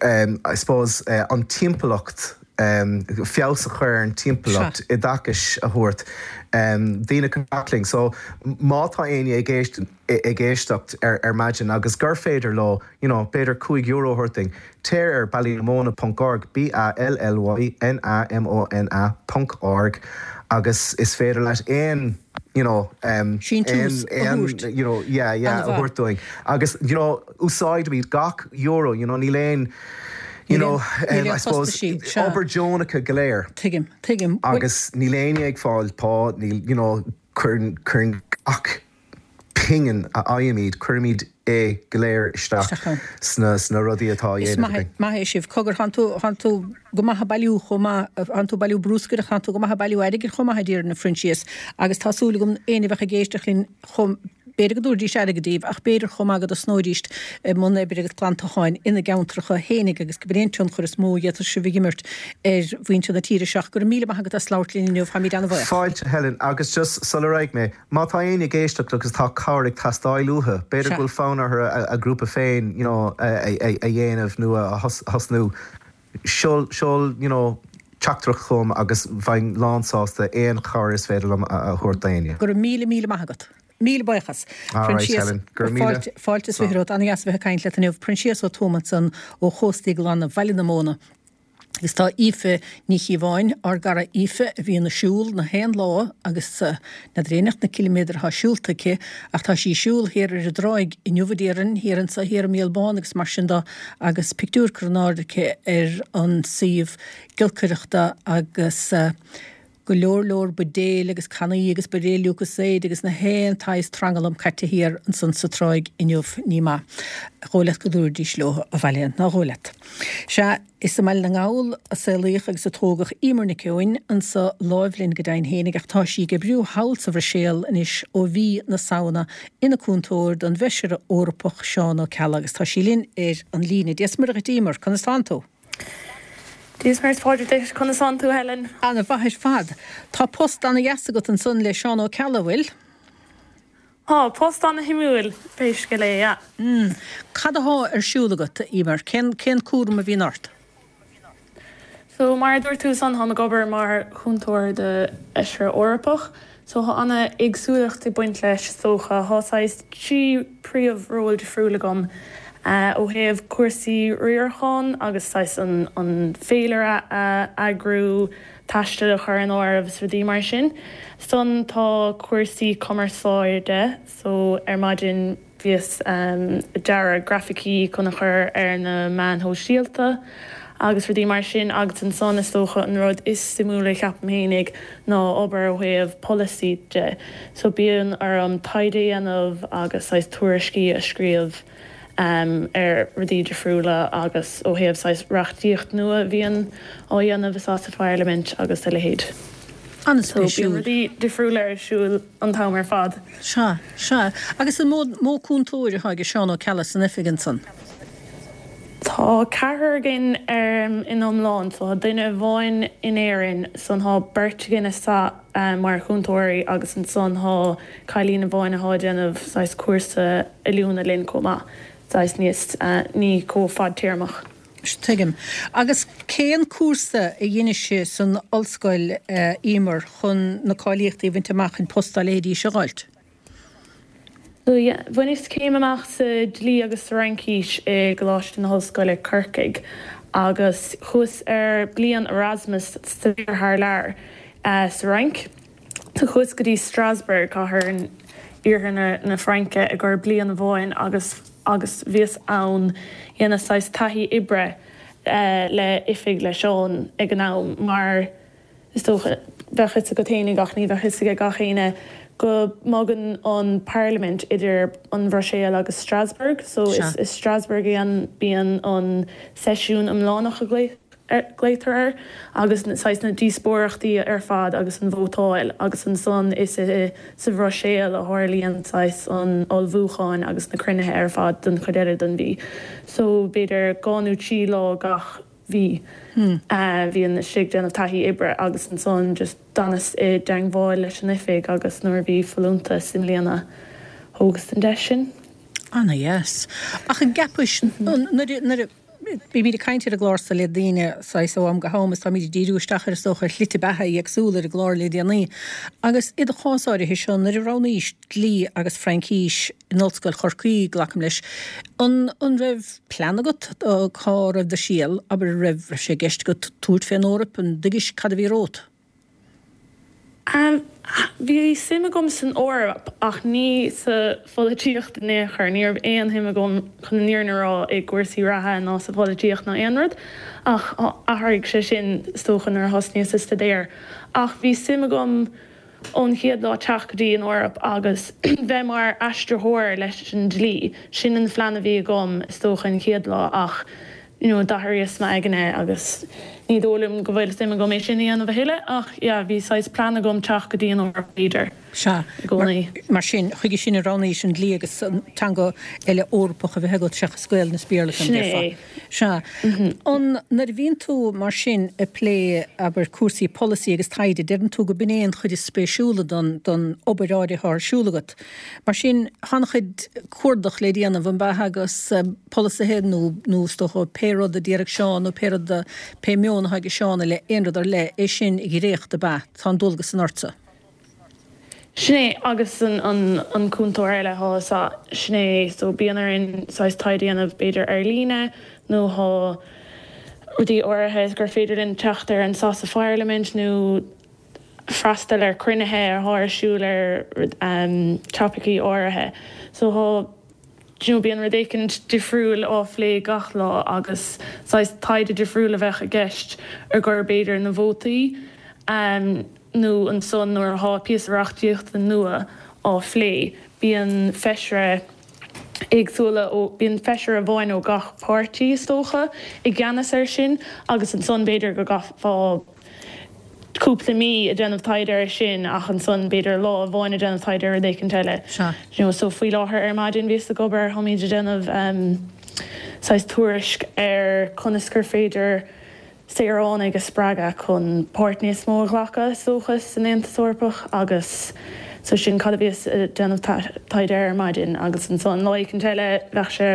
um, I suppose uh, an timpeallacht um, feabhas a chur an timpeallacht oideachas a thabhairt um, daoine linn. So má tá éinne ag ag éisteacht ar, ar maidin agus gur féidir leo you know, b'fhéidir cúig euro a thabhairt dúinn, téir ar ballynamona.org B A L L Y N A M O N A.org agus is féidir leat aon you know, um, Síntiús a aon, thabhairt. you know, yeah, yeah, a An-mhaith. thabhairt dúinn. Agus, you know, úsáidimid gach euro, you know, níl aon, you Níl know, aon- níl um, aon I suppose, costaisí, sea. obair deonach go léir. Tuigim, tuigim. Bhuel, Agus níl éinne ag fáil pá, níl, you know, cuireann cuireann gach pingin a fhaighimid, cuirimid é go léir isteach Isteach ann. sna sna rudaí atá á Is dhéanamh maith againn. maith é sibh. Cogar thánn tú thánn tú go maith ag bailiú chomh maith thánn tú ag bailiú bruscair ach thánn tú go maith ag bailiú airgid chomh maith a déarfainn a Phroinsias agus tá súil agam éinne a bheadh ag éisteacht linn chomh b'fhéidir go dtabharfaidís airgead daoibh ach b'fhéidir chomh maith go dtosnóidís i mbun oibre agus glantacháin ina gceantracha fhéinig agus go b'in an tionchar is mó a d'fhéadfadh sibh a imirt ar mhuintir na tíre seo. Go raibh míle maith agat as labhairt linn inniu, táimid an-bhuíoch. Fáilte Helen agus just sula raghaidh mé, má tá éinne ag éisteacht agus tá cabhair ag teastáil uathu, b'fhéidir Sea. go bhfuil fonn orthu a, a grúpa féin you know, a, a, a, a dhéanamh nó a thos- thosnú. Seol seol you know, teachtaireacht chugam agus bheinn lánsásta aon chabhair is féidir liom a, a thabhairt d'éinne. Go raibh míle míle maith agat. Míle buíochas. All right, Proinsias, Helen. Go raibh míle. fáilte fáilte is fiche romhat an-dheas a bheith ag caint leat inniu Proinsias Ó Tuama ansan ó Chóstaí Glana Bhaile na Móna. Agus tá Aoife Ní Chíobháin ár gcara Aoife a bhíonn ag siúl na haon lá agus uh, n'fheadar aon na ciliméadair atá siúlta aici ach tá sí ag siúl thiar ar an dtráigh inniu a déarfainn thiar anso thiar i Míol Bán agus mar sin de agus pictiúr curtha in airde aici ar an suíomh giolcaireachta agus uh, go leor leor buidéil agus cannaí agus buidéil Lucozade agus na haon tsaghas tranglam caite thiar ansan sa tráigh inniu ní maith. Dhóigh leat go dtabharfaidís leo abhaile ná dhóigh leat. Sea is i mBaile na nGall a saolaíodh agus a tógadh Emer Nic Eoin anso láimh linn go deimhin fhéinig ach tá sí ag oibriú thall sa Bhruiséil anois ó mhí na Samhna ina cúntóir don bhFeisire Eorpach Seán Ó Ceallaigh agus tá sí linn ar an líne. Dia is Muire dhuit Emer, conas tánn tú? Dia is Muire Pádraig conas tánn tú Helen. An-mhaith ar fad. Tá post an-dheas agat ansan le Seán Ó Ceallaigh bhfuil? Tá post an-shuimiúil pé scéal é yeah. Mm. Cad atá ar siúl agat Emer, cén cén cúram a bhíonn ort? So mar dúirt tú san táim ag obair mar chúntóir do Fheisire Eorpach, so tá an-éagsúlacht ag baint leis socha tá trí príomhról difriúil agam uh, ó thaobh cúrsaí riaracháin agus saghas an, an féilire a eagrú taisteal a chur in áirithe is rudaí mar sin. Ansan tá cúrsaí cumarsáide so ar maidin bhíos um, dearadh grafaicí chun a chur ar na meáin shóisialta. agus rudaí mar sin agus ansan is dócha an rud is suimiúla ceapaim fhéinig ná obair ó thaobh polasaí de. So bíonn orm taighde a dhéanamh agus saghas tuairiscí a scríobh um, ar rudaí difriúla agus ó thaobh saghas reachtaíocht nua bhíonn á dhéanamh sa Pharlaimint agus a leithéid. So bíonn An-spéisiúil. rudaí difriúla ar siúl an t-am ar fad. Sea, sea, agus an mó mó cúntóir atá ag Seán Ó Ceallaigh san oifig ansan. Tá ceathrar againn um, in iomlán, so tá duine amháin in Éirinn ansan tá beirt againn sa um, mar chúntóirí agus ansan tá cailín amháin atá ag déanamh saghas cúrsa oiliúna linn chomh maith, saghas níos uh, ní chomh fadtéarmach. Tuigim. Agus cén cúrsa a dhein sé san ollscoil uh, Emer chun na cáilíochtaí a bhaint amach an post dá leithéidí seo a fháilt? So yeah, bhaineas céim amach sa dlí agus sa Fhraincis i gColáiste na hOllscoile Corcaigh agus chuas ar bliain Erasmus sa thar lear uh, sa Fhrainc. So chuas go dtí Strasbourg cathair in iarthar na, na Fraince i gcomhair bliain amháin agus agus bhíos ann ag déanamh taithí oibre uh, le oifig le Seán ag an am mar is dócha bheadh a fhios agat fhéinig ach ní bheadh a fhios ag gach éinne go mbogann an Parliament idir an Bhruiséil agus Strasbourg, so Sea. is, is Strasbourg an bíonn an seisiún iomlánach a glaotar air agus saghas na díospóireachtaí ar fad agus an vótáil agus ansan is i sa Bhruiséil a tharlaíonn saghas an ullmhúchán agus na cruinnithe ar fad don chuid eile den mhí. So b'fhéidir dhá nó trí lá gach mhí Hmm. uh, bhínn istigh ag déanamh taithí oibre agus ansan just d'fhanas i dteagmháil leis an oifig agus nuair bhí folúntas i mbliana thógas an deis sin. An-dheas. Ach an gceapais nuair bímid ag caint ar an gclár seo le daoine saghas ó am go ham is táimid ag díriú isteach ar is dócha slite beatha éagsúla ar an gclár le déanaí. Agus i do chás áirithe seo nuair a roghnaís dlí agus Fraincis in Ollscoil Chorcaí glacaim leis. An an raibh plean agat cá raibh do shaol abair raibh raibh sé i gceist agat tabhairt fén Eoraip an dtuigis cad a bhí romhat? Um, bhí suim agam san Eoraip ach ní sa pholaitíocht in aon chor, ní raibh aon shuim agam chun an fhírinne a rá i gcúrsaí reatha ná sa pholaitíocht ná aon rud ach athraigh sé sin is dócha nuair a thosnaíos ag staidéar. Ach bhí suim agam ón chéad lá teacht go dtí an Eoraip agus bheith mar aistritheoir leis an dlí. Sin an phlean a bhí agam is dócha an chéad lá ach you know, d'athraíos m'aigne agus ní dóigh liom go bhfuil suim agam é sin a dhéanamh a thuilleadh ach yeah, bhí saghas plean agam teacht go dtí an Eoraip b'fhéidir. Sea, I gcónaí. Mar sin, chuige sin a roghnaís an dlí agus an teanga eile Eorpach a bheith agat seachas Gaeilge is Béarla Sin é. Sea. An nuair a bhíonn tú mar sin ag plé abair cúrsaí polasaí agus taighde, deireann tú go b'in é an chuid is spéisiúla don don obair áirithe ar siúl agat. Mar sin tá an-chuid cuardach le déanamh an b'ea agus polasaithe nó nó is dócha pé rud a d'iarraidh Seán nó pé rud pé meon atá ag Seán le aon rud ar leith é sin a dhréachtú ab ea, tá an dualgas san ortsa. Sin é agus an, an, an cúntóir eile thá sa sin é so bíonn orainn saghas taighde a dhéanamh b'fhéidir ar líne nó thá rudaí áirithe gur féidir linn teacht ar an sa pharlaimint nó freastal ar cruinnithe atá ar siúl ar um, topaicí áirithe. So thá you know, bíonn rud éicint difriúil á phlé gach lá agus saghas taighde difriúil a bheith i gceist ar gur b'fhéidir na vótaí um, nó ansan nuair atá píosa reachtaíochta nua á phlé. Bíonn feisire éagsúla ó bíonn feisire amháin ó gach páirtí is dócha i gceannas air sin agus ansan b'fhéidir go gcaithfeá cúpla mí ag déanamh taighde air sin ach ansan b'fhéidir lá amháin ag déanamh taighde ar rud éicint eile. Sea. You know, so faoi láthair ar maidin bhíos ag obair tháimid ag déanamh um, saghas tuairisc ar conas gur féidir saoránaigh a spreagadh chun páirt níos mó a ghlacadh is dócha san Aontas Eorpach agus so sin cad a bhíos ag déanamh taighde ar maidin agus ansan lá éicint eile bheadh sé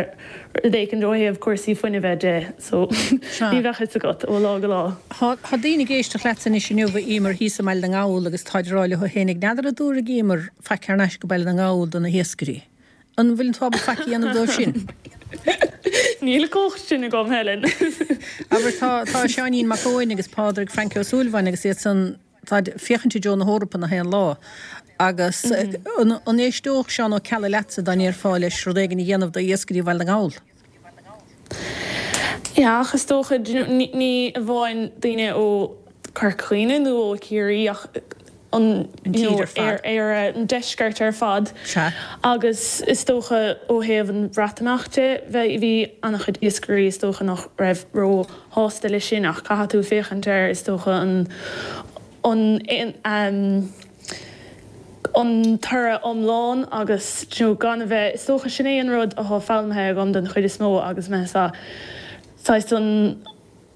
rud éicint ó thaobh cúrsaí fuinnimh de so ní bheadh fhios agat ó lá go lá. Tá daoine ag éisteacht leat anois inniu a Emer thíos i mBaile na nGall agus táid ag rá leo féin n'fheadar an dtabharfaidh Emer faic thar n-ais go Baile na nGall do na hiascairí. An bhfuil tú ábalta faic a dhéanamh dóibh sin? Níl an chumhacht sin agam Helen. Abair tá tá Seáinín Mac Eoin agus Pádraig Francie Ó Súilleabháin agus iad san tá féachaint i dtreo na hEorpa na haon lá. Agus an an éisteodh Seán Ó Ceallaigh leatsa dá ndéarfá leis rud éigin a dhéanamh do iascairí Bhaile na nGall. Ja, ach is dócha ní ní amháin daoine ó Chorca Dhuibhne nó ó Chiarraí ach an An you know, tír ar fad. ar ar an deisceart ar fad. Sea. Agus is dócha ó thaobh an Bhreatimeachta de bhí bhí an-chuid iascairí is dócha nach raibh róshásta leis sin ach caithfidh tú féachaint air is dócha an an um, an toradh iomlán agus you know, gan a bheith is dócha sin é an rud atá foghlamtha agam den chuid is mó agus me sa saghas an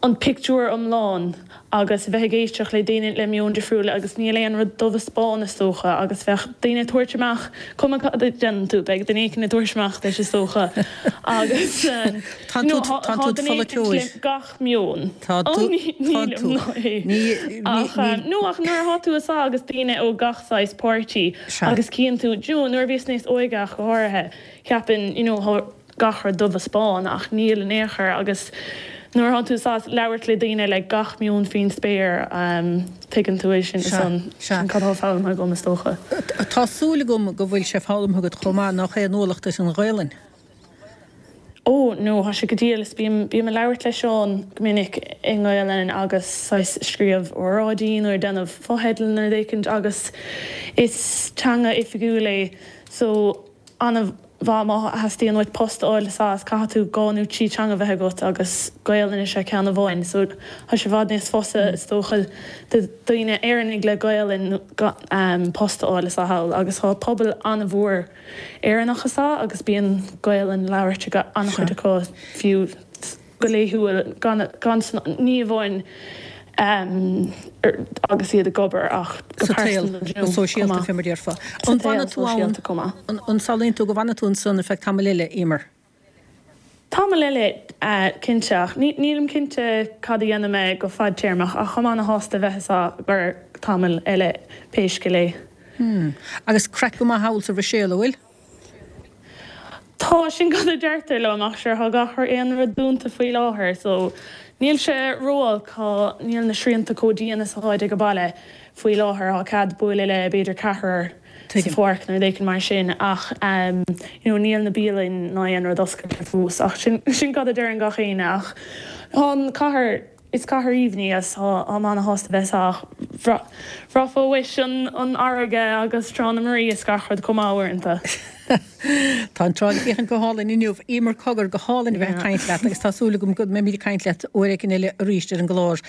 an pictiúr iomlán agus bheith ag éisteacht le daoine le meon difriúla agus níl aon rud dubh is bán is dócha agus bheadh daoine ag tabhairt amach cuma cad a dhéanann tú beidh duine éicint ag tabhairt amach leis is dócha agus um, Tá you know, tú- tá- tá tá tú duine éicint pholaiteoir. le gach meon. Tá Ó, tú- ní- tá nílim tú. ná é. Ní- ní- Ach, um, ní- nó ach nuair atá tú sa agus daoine ó gach saghas páirtí Sea. agus cíonn tú you know, nuair a bhíos níos óige ach go háirithe ceapann you know, thá gach rud dubh is bán ach níl in aon chor agus nuair atá tú sa labhairt le daoine le gach meon faoin spéir um, tuigeann tú é sin Sea, san sea. sin cad atá foghlamtha agam is dócha. Tá súil agam go bhfuil sé foghlamtha agat chomh maith nach aon ualach duit an Ghaelainn. Ó no thá sé go diail is bím bím ag labhairt le Seán go minic i nGaelainn agus saghas scríobh óráidí nó déanamh fotheidil nó rud éicint agus is teanga oifigiúil é so an bha má theastaíonn uait post a fháil sa caithfidh tú dhá nó trí teanga bheith agat agus Gaelainn is ea ceann amháin so thá sé i bhfad níos fusa is dócha do daoine Éireannaigh le Gaelainn um, post a fháil sa thall agus thá pobal an-mhór Éireannach sa agus bíonn Gaelainn labhairt ag an-chuid acu fiú go laethúil gan gan ní amháin um, er, agus iad ag obair ach go Sa tsaol, pearsanta, go sóisialta chomh maith. fé mar a déarfá. Sa An tsaol bhfanfaidh tú ann sóisialta chomh maith. an an samhlaíonn tú go bhfanfaidh tú ansan ar feadh tamall eile Emer. Tamall eile uh, cinnte ach ní- nílim cinnte cad a dhéanfaidh mé go fadtéarmach ach chomh an-shásta bheith sa gur tamall eile pé scéal é. Hmm. Agus craic go maith thall sa Bhruiséil an bhfuil? Tá sin cad a deirtear liom ach sure thá gach aon rud dúnta faoi láthair, so níl sé ró-olc níl na srianta chomh dian is atá ag baile. Faoi láthair tá cead bualadh le b'fhéidir ceathrar sa pháirc nó rud éicint mar sin ach um, you know, níl na bialanna ná aon rud oscailte fós ach sin, sin cad a deireann gach éinne ach tá an cathair is cathair aoibhinn í is tá mé ana-shásta bheith ach bhraithfeá uait an an fharraige agus Trá na Muirí is gach rud chomh maith uaireanta. Tá an trá le féachaint go hálainn inniu. Emer Cogger go hálainn a bheith ag caint leat agus tá súil agam go mbeimid ag caint leat uair éigin eile arís ar an gclár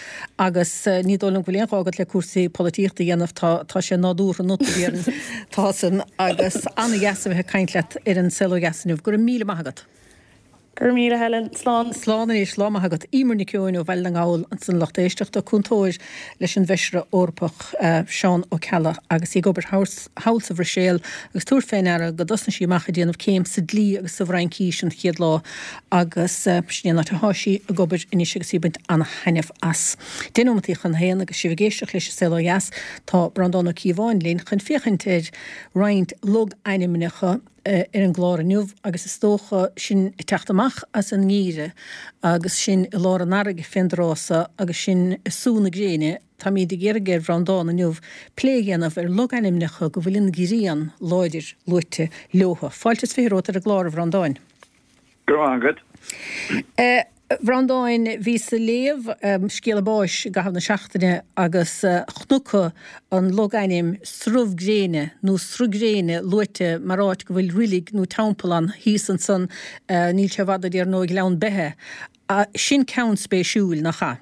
agus ní dóigh liom go bhfuil aon ghá agat le cúrsaí polaitíochta a dhéanamh, tá tá sé nádúrtha ionat tá san agus an-dheas a bheith ag caint leat ar an Saol Ó Dheas inniu. Go raibh míle maith agat. Go raibh míle Helen, slán. Slán anois, lá maith agat. Emer Nic Eoin ó Bhaile na nGall ansan a lucht éisteachta, cúntóir leis an bhFeisire Eorpach Seán Ó Ceallaigh agus í ag obair thall sa Bhruiséil agus tabhair fé ndeara go dtosnaigh sí amach ag déanamh céim sa dlí agus sa bhFraincís an chéad lá agus sin é an áit atá sí ag obair anois agus í ag baint an-thaitneamh as. Deich nóimeataí chun a haon agus sibh ag éisteacht leis an Saol Ó Dheas, tá Breandán Ó Cíobháin linn chun féachaint ar roinnt logainmneacha ar an gclár inniu agus is dócha sinn ag teacht amach as an ngeimhreadh agus sinn i lár an earraigh fén dtráth so agus sinn ag sú na gréine, táimid ag iarraidh ar Bhreandán inniu plé a dhéanamh ar logainmneacha go bhfuil an ghrian láidir luaite leothu. Fáilte is fiche romhat ar an gclár, a Bhreandáin. Go raibh maith agat. A Bhreandáin, bhíos ag léamh scéala báis i gcaitheamh na seachtaine agus chonac an logainm Srubh Gréine nó Sruth Gréine luaite mar áit go bhfuil roilig nó teampall ann thíos ansan, níl sé i bhfad ó déarfainn ó Ghleann Beithe. Sin ceann spéisiúil, nach ea?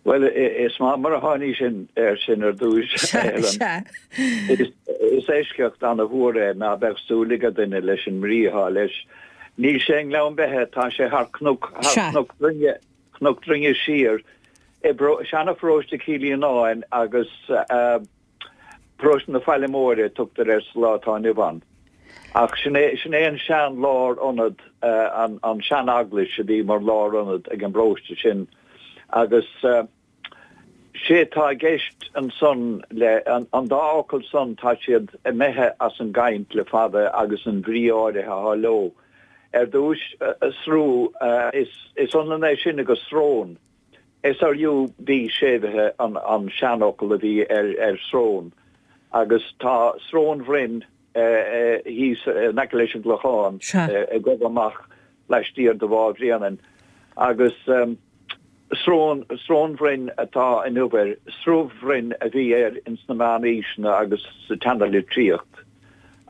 Bhuel, is maith mar a tháinís air sin ar dtús, a Helen. Is eisceacht ana-mhór é ná beadh súil ag duine leis an mbrí atá leis. Níl sé i nGleann Beithe, tá sé thar Cnoc, thar Chnoc Droinge, Cnoc Droinge siar, i seana-pharóiste Chill Fhíonáin agus paróiste na Faille Móire a tugtar air sa lá atá inniu ann. Ach sin é, sin é an sean-lárionad, an sean-eaglais a bhí mar lárionad ag an bparóiste sin. Agus sé atá i gceist ansan le, an dá fhocal san, tá siad imithe as an gcaint le fada agus an bhrí áirithe atá leo. Ar dtúis, sruth, is ionann é sin agus srón. S-R-U-B séimhithe an seanfhocal a bhí ar srón. Agus tá Srón Bhroin thíos in aice leis an gClochán, ag gabháil amach laistiar de Bhá Bhréanainn. Agus Srón, Srón Bhroin atá inniu air, Srubh Bhroin a bhí air ins na meánaoiseanna agus sa tseanalitríocht.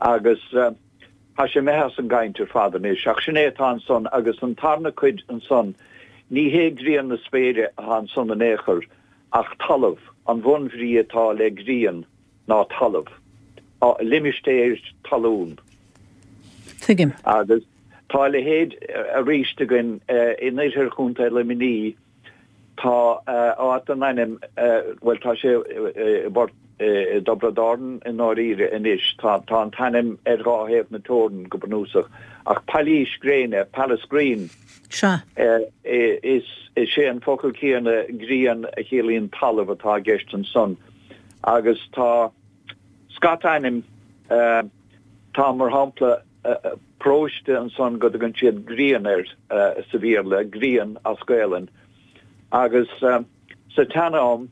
Agus tá sé imithe as an gcaint ar fad anois. Ach sin é atá ansan agus an tarna cuid ansan, ní hé grian na spéire atá ansan in aon chor ach talamh, an bhunbhrí atá le grian ná talamh, limistéir talún. Tuigim. Agus. Tá a leithéid arís againn in oirthear Chontae Luimnigh. Tá áit den ainm, bhuel tá sé i bPort, i dTiobraid Árann i ndáiríre anois, tá an t-ainm ar dhá thaobh na teorann go bunúsach, ach Pailís Gréine, Pallasgreen, Sea. is é an focal céanna grian a chiallaíonn talamh atá i gceist ansan. Agus tá scata ainm, tá mar shampla, paróiste ansan go dtugann siad Grian air sa Bhéarla, Grian as Gaelainn. Agus sa tsean-am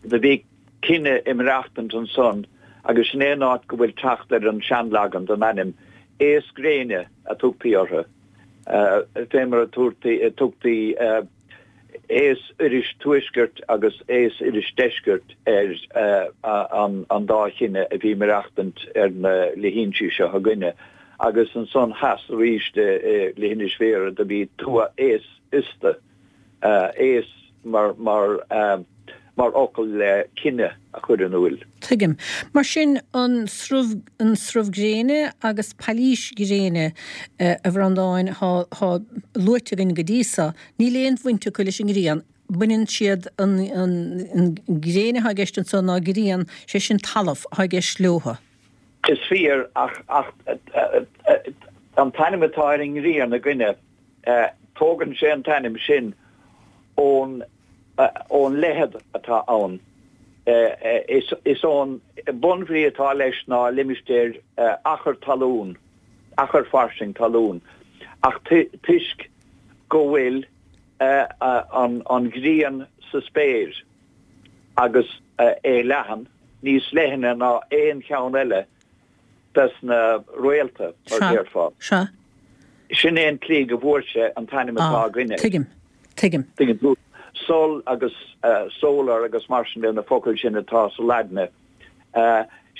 do bhí cine ag maireachtaint ansan agus sin é an áit go bhfuil teacht ar an seanleagan den ainm, Aos Gréine a tugtaí orthu, fé mar a tugtaí Aos Iorrais Tuaiscirt agus Aos Iorrais Deiscirt ar an dá chine a bhí maireachtaint ar na leithinsí seo againne, agus ansan theas arís i Leithinis Bhéarra do bhí Tuath Aos Iosta, aos mar mar mar fhocal le cine a chur in iúil. Tuigim. Mar sin, an Srubh, an Srubh Gréine agus Pailís Gréine, a Bhreandáin, thá luaite againn go dtí so, níl aon bhaint acu leis an ngrian. Baineann siad, an, an, an ghréin athá i gceist anso ná grian, sé sin talamh, athá i gceist leothu. Is fíor, ach, ach an t-ainm atá ar an ngrian againne, tógann sé an t-ainm sin ón, ón leithead atá ann. Is ón bunbhrí atá leis ná limistéar achar talún, achar fairsing talún, ach toisc go bhfuil an ghrian sa spéir agus é leathan, níos leithne ná aon cheann eile des na réalta, mar Sea. déarfá. Sea. Sin é an tslí go bhfuair sé an t-ainm atá Ah, againne. tuigim. Tuigim. Tuigeann tú? Sol agus solar agus mar sin de, na focail sin atá sa Laidne.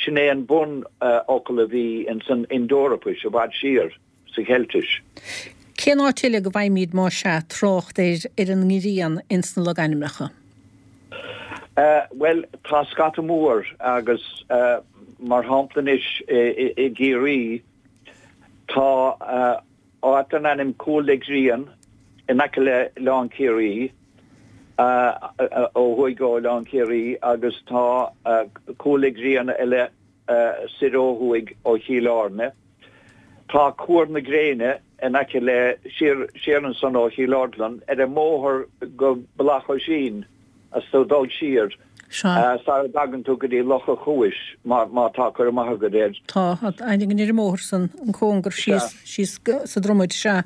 Sin é an bunfhocal a bhí ins an Ind-Eorpais i bhfad siar, sa Cheiltis. Cén áit eile go bhfaighimid, más ea, trácht ar ar an ngrian ins na logainmneacha? Bhuel, tá scata mór agus mar shampla anois i gCiarraí tá áit den ainm Cúl le Grian in aice le Oileán Ciarraí, ó thuaidh ó Oileán Ciarraí agus tá Cúl le Grian eile soir ó thuaidh ó Chill Airne. Tá Cuar na Gréine in aice le, siar, siar ansan ó Chill Orglan, ar an mbóthar go Bealach Oisín is tú ag dul siar, sara dtagann tú go dtí Loch a' Chuais, má, má tá cur amach agat air. Tá, aithne ar an mbóthar san, an cóngar síos, síos sa Dromaid, sea.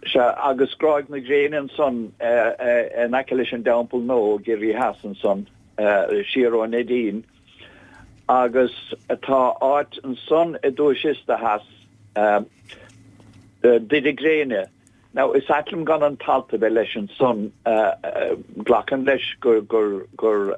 Sea, agus Gráig na Gréine ansan in aice leis an dTeampall Nó, i gCiarraí Theas ansan, siar ó Neidín. Agus tá áit ansan i dTuais Iosta Theas, Doire Gréine. Now, is ait liom gan an t-alt a bheith leis ansan, glacaim leis gur, gur, gur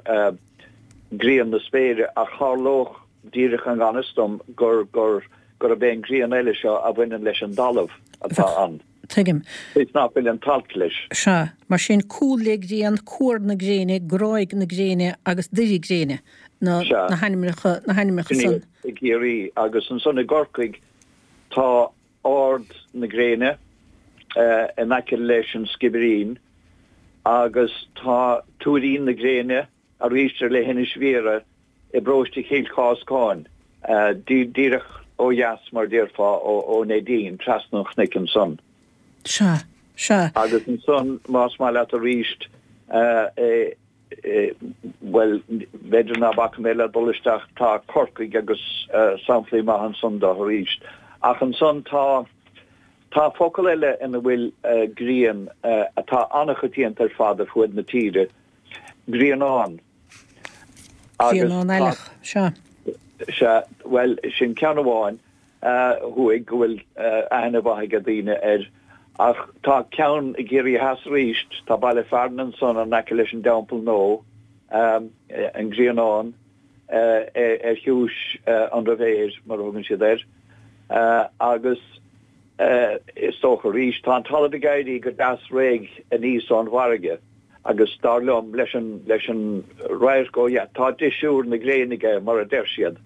grian na spéire, ach tharlódh díreach i ngan fhios dom gur, gur, gurb é an ghrian eile seo a bhaineann leis an dtalamh atá ann. Tuigim. Is nach bhfuil an t-alt leis. Sea. Mar sin, Cúl le Grian, Cuar na Gréine, Gráig na Gréine agus Doire Gréine na Sea. na hainmneacha, na hainmneacha Sin san. iad i gCiarraí. Agus ansan i gCorcaigh tá Ard na Gréine in aice leis an Sciobairín agus tá Tuairín na Gréine arís ar leithinis Bhiorra i bparóiste Chill Cháscáin, díreach ó dheas, mar déarfá, ó Neidín, trasna an chnoic ansan. Sea, sea. Agus ansan, más maith leat arís, bhuel, b'fhéidir ná bacfaidh mé le dul isteach, tá Corcaigh agus samplaí maith ansan dó arís. Ach ansan tá, tá focal eile ina bhfuil grian atá an-choitianta ar fad ar fuaid na tíre, grianán. Grianán Aileach, sea. Sea, bhuel, sin ceann amháin thuaidh go bhfuil aithne mhaith ag daoine air. Ach tá ceann i gCiarraí Theas arís, tá baile fearainn ansan in aice leis an dTeampall Nó, an Grianán, ar chiumhais an Rivière, mar a thugann siad air. Agus is dócha arís, tá an talamh ag éirí go deas réidh aníos ón bhfarraige. Agus dar liom, leis an, leis an radharc ó dheas, tá deisiúr na gréine aige, mar a deir siad.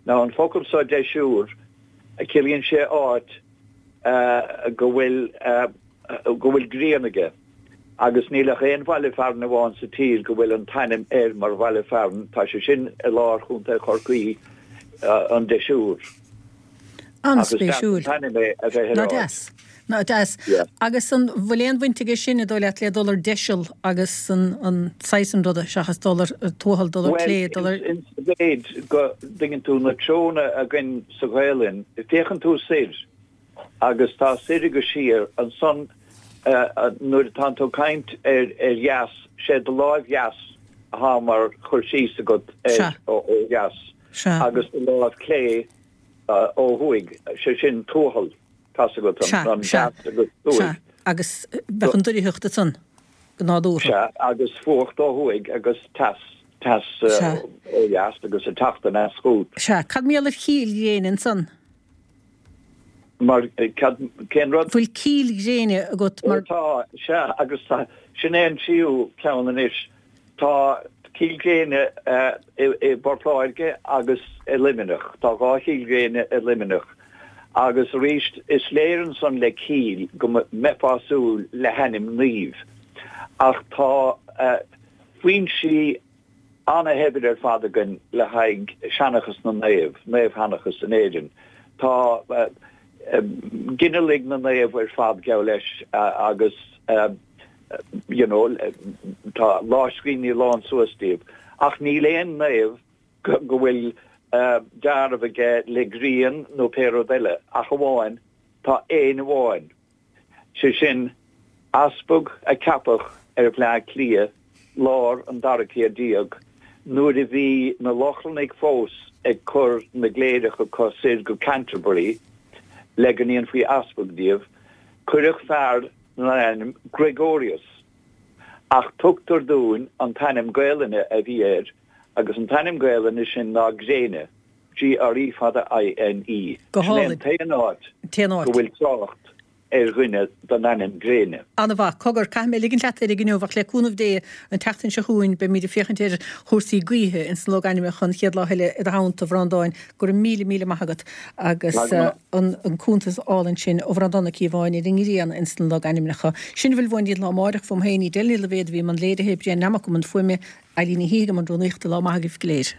Now, an focal seo deisiúr, ciallaíonn sé áit go bhfuil, go bhfuil grian aige. Agus níl ach aon bhaile fearainn amháin sa tír go bhfuil an t-ainm air mar bhaile fearainn, tá sé sin i lár Chontae Chorcaí, an Deisiúr. An-spéisiúil. Agus an t-ainm é a bheith ar Ná áit. deas. Ná deas. Yeah. Agus an bhfuil aon bhaint aige sin, an dóigh leat, le dul ar deiseal agus an an saghas san ruda seachas dul ar tuathal, dul ar clé, dul ar. Bhuel, ins sa mhéid go dtuigeann tú na treonna againn sa Ghaelainn, féachann tú soir agus tá soir agus siar, ansan nuair atánn tú ag caint ar ar dheas, sé do láimh dheas athá mar chur síos agat ar ó dheas agus do láimh clé ó thuaidh, sé sin tuathal. Tá's agat an deas agus thuaidh. Sea, agus bheadh an doircheacht ansan go nádúrtha. Sea, agus fuacht ó thuaidh agus teas, teas ó dheas agus ag teacht aneas chugat. Sea, cad mar gheall ar Chill Ghréine ansan? Mar, cad, cén rud? Bhfuil Cill Ghréine agat mar. Ó tá, sea, agus tá, sin é an tríú ceann anois. Tá Cill Ghréine i bPort Láirge agus i Luimneach. Tá dhá Chill Ghréine i Luimneach. Agus arís, is léir ansan le Cill go mbeifeá ag súil le hainm naoimh. Ach tá foinsí ana-shaibhir ar fad againn le haghaidh seanchas na naomh, naomhsheanchas in Éirinn. Tá ginealaigh na naomh ar fad, geall leis, agus you know, tá lámhscríbhinní lán suas díobh. Ach níl aon naomh go bhfuil dealramh aige le grian nó pé rud eile, ach amháin, tá aon amháin, sé sin, easpag a ceapadh ar Bhleá Cliath lár an dara céad déag, Nuair a bhí na Lochlannaigh fós ag cur na gcléireach acu soir go Canterbury le go ndéanfaí easpag díobh, cuireadh fear den ainm Gregorius, ach tugtar dúinn an t-ainm Gaelainne a bhí air agus an t-ainm Gaelainne sin ná Gréine, G R E fada I N E. Go Sin é an hálainn. t-aon áit T-aon go áit. bhfuil trácht ar dhuine den ainm Gréine. An-mhaith. Cogar, caithfidh mé ligint leat ar inniu, ach le cúnamh Dé, an tseachtain seo chugainn beimid ag féachaint ar chúrsaí gaoithe ins na logainmneacha an chéad lá eile i do theannta, a Bhreandáin. Go raibh míle míle maith agat agus an an cuntas álainn sin ó Bhreandán Ó Cíobháin ar an ngrian ins na logainmneacha. Sin a bhfuil uainn don lá amárach, uaim féin, Edel Ní Loibhéad a bhí i mbun léirithe, Brian Nammock i mbun fuaime, Eileen Ní Shíthigh i mbun rúnaíochta. Lá maith agaibh go léir.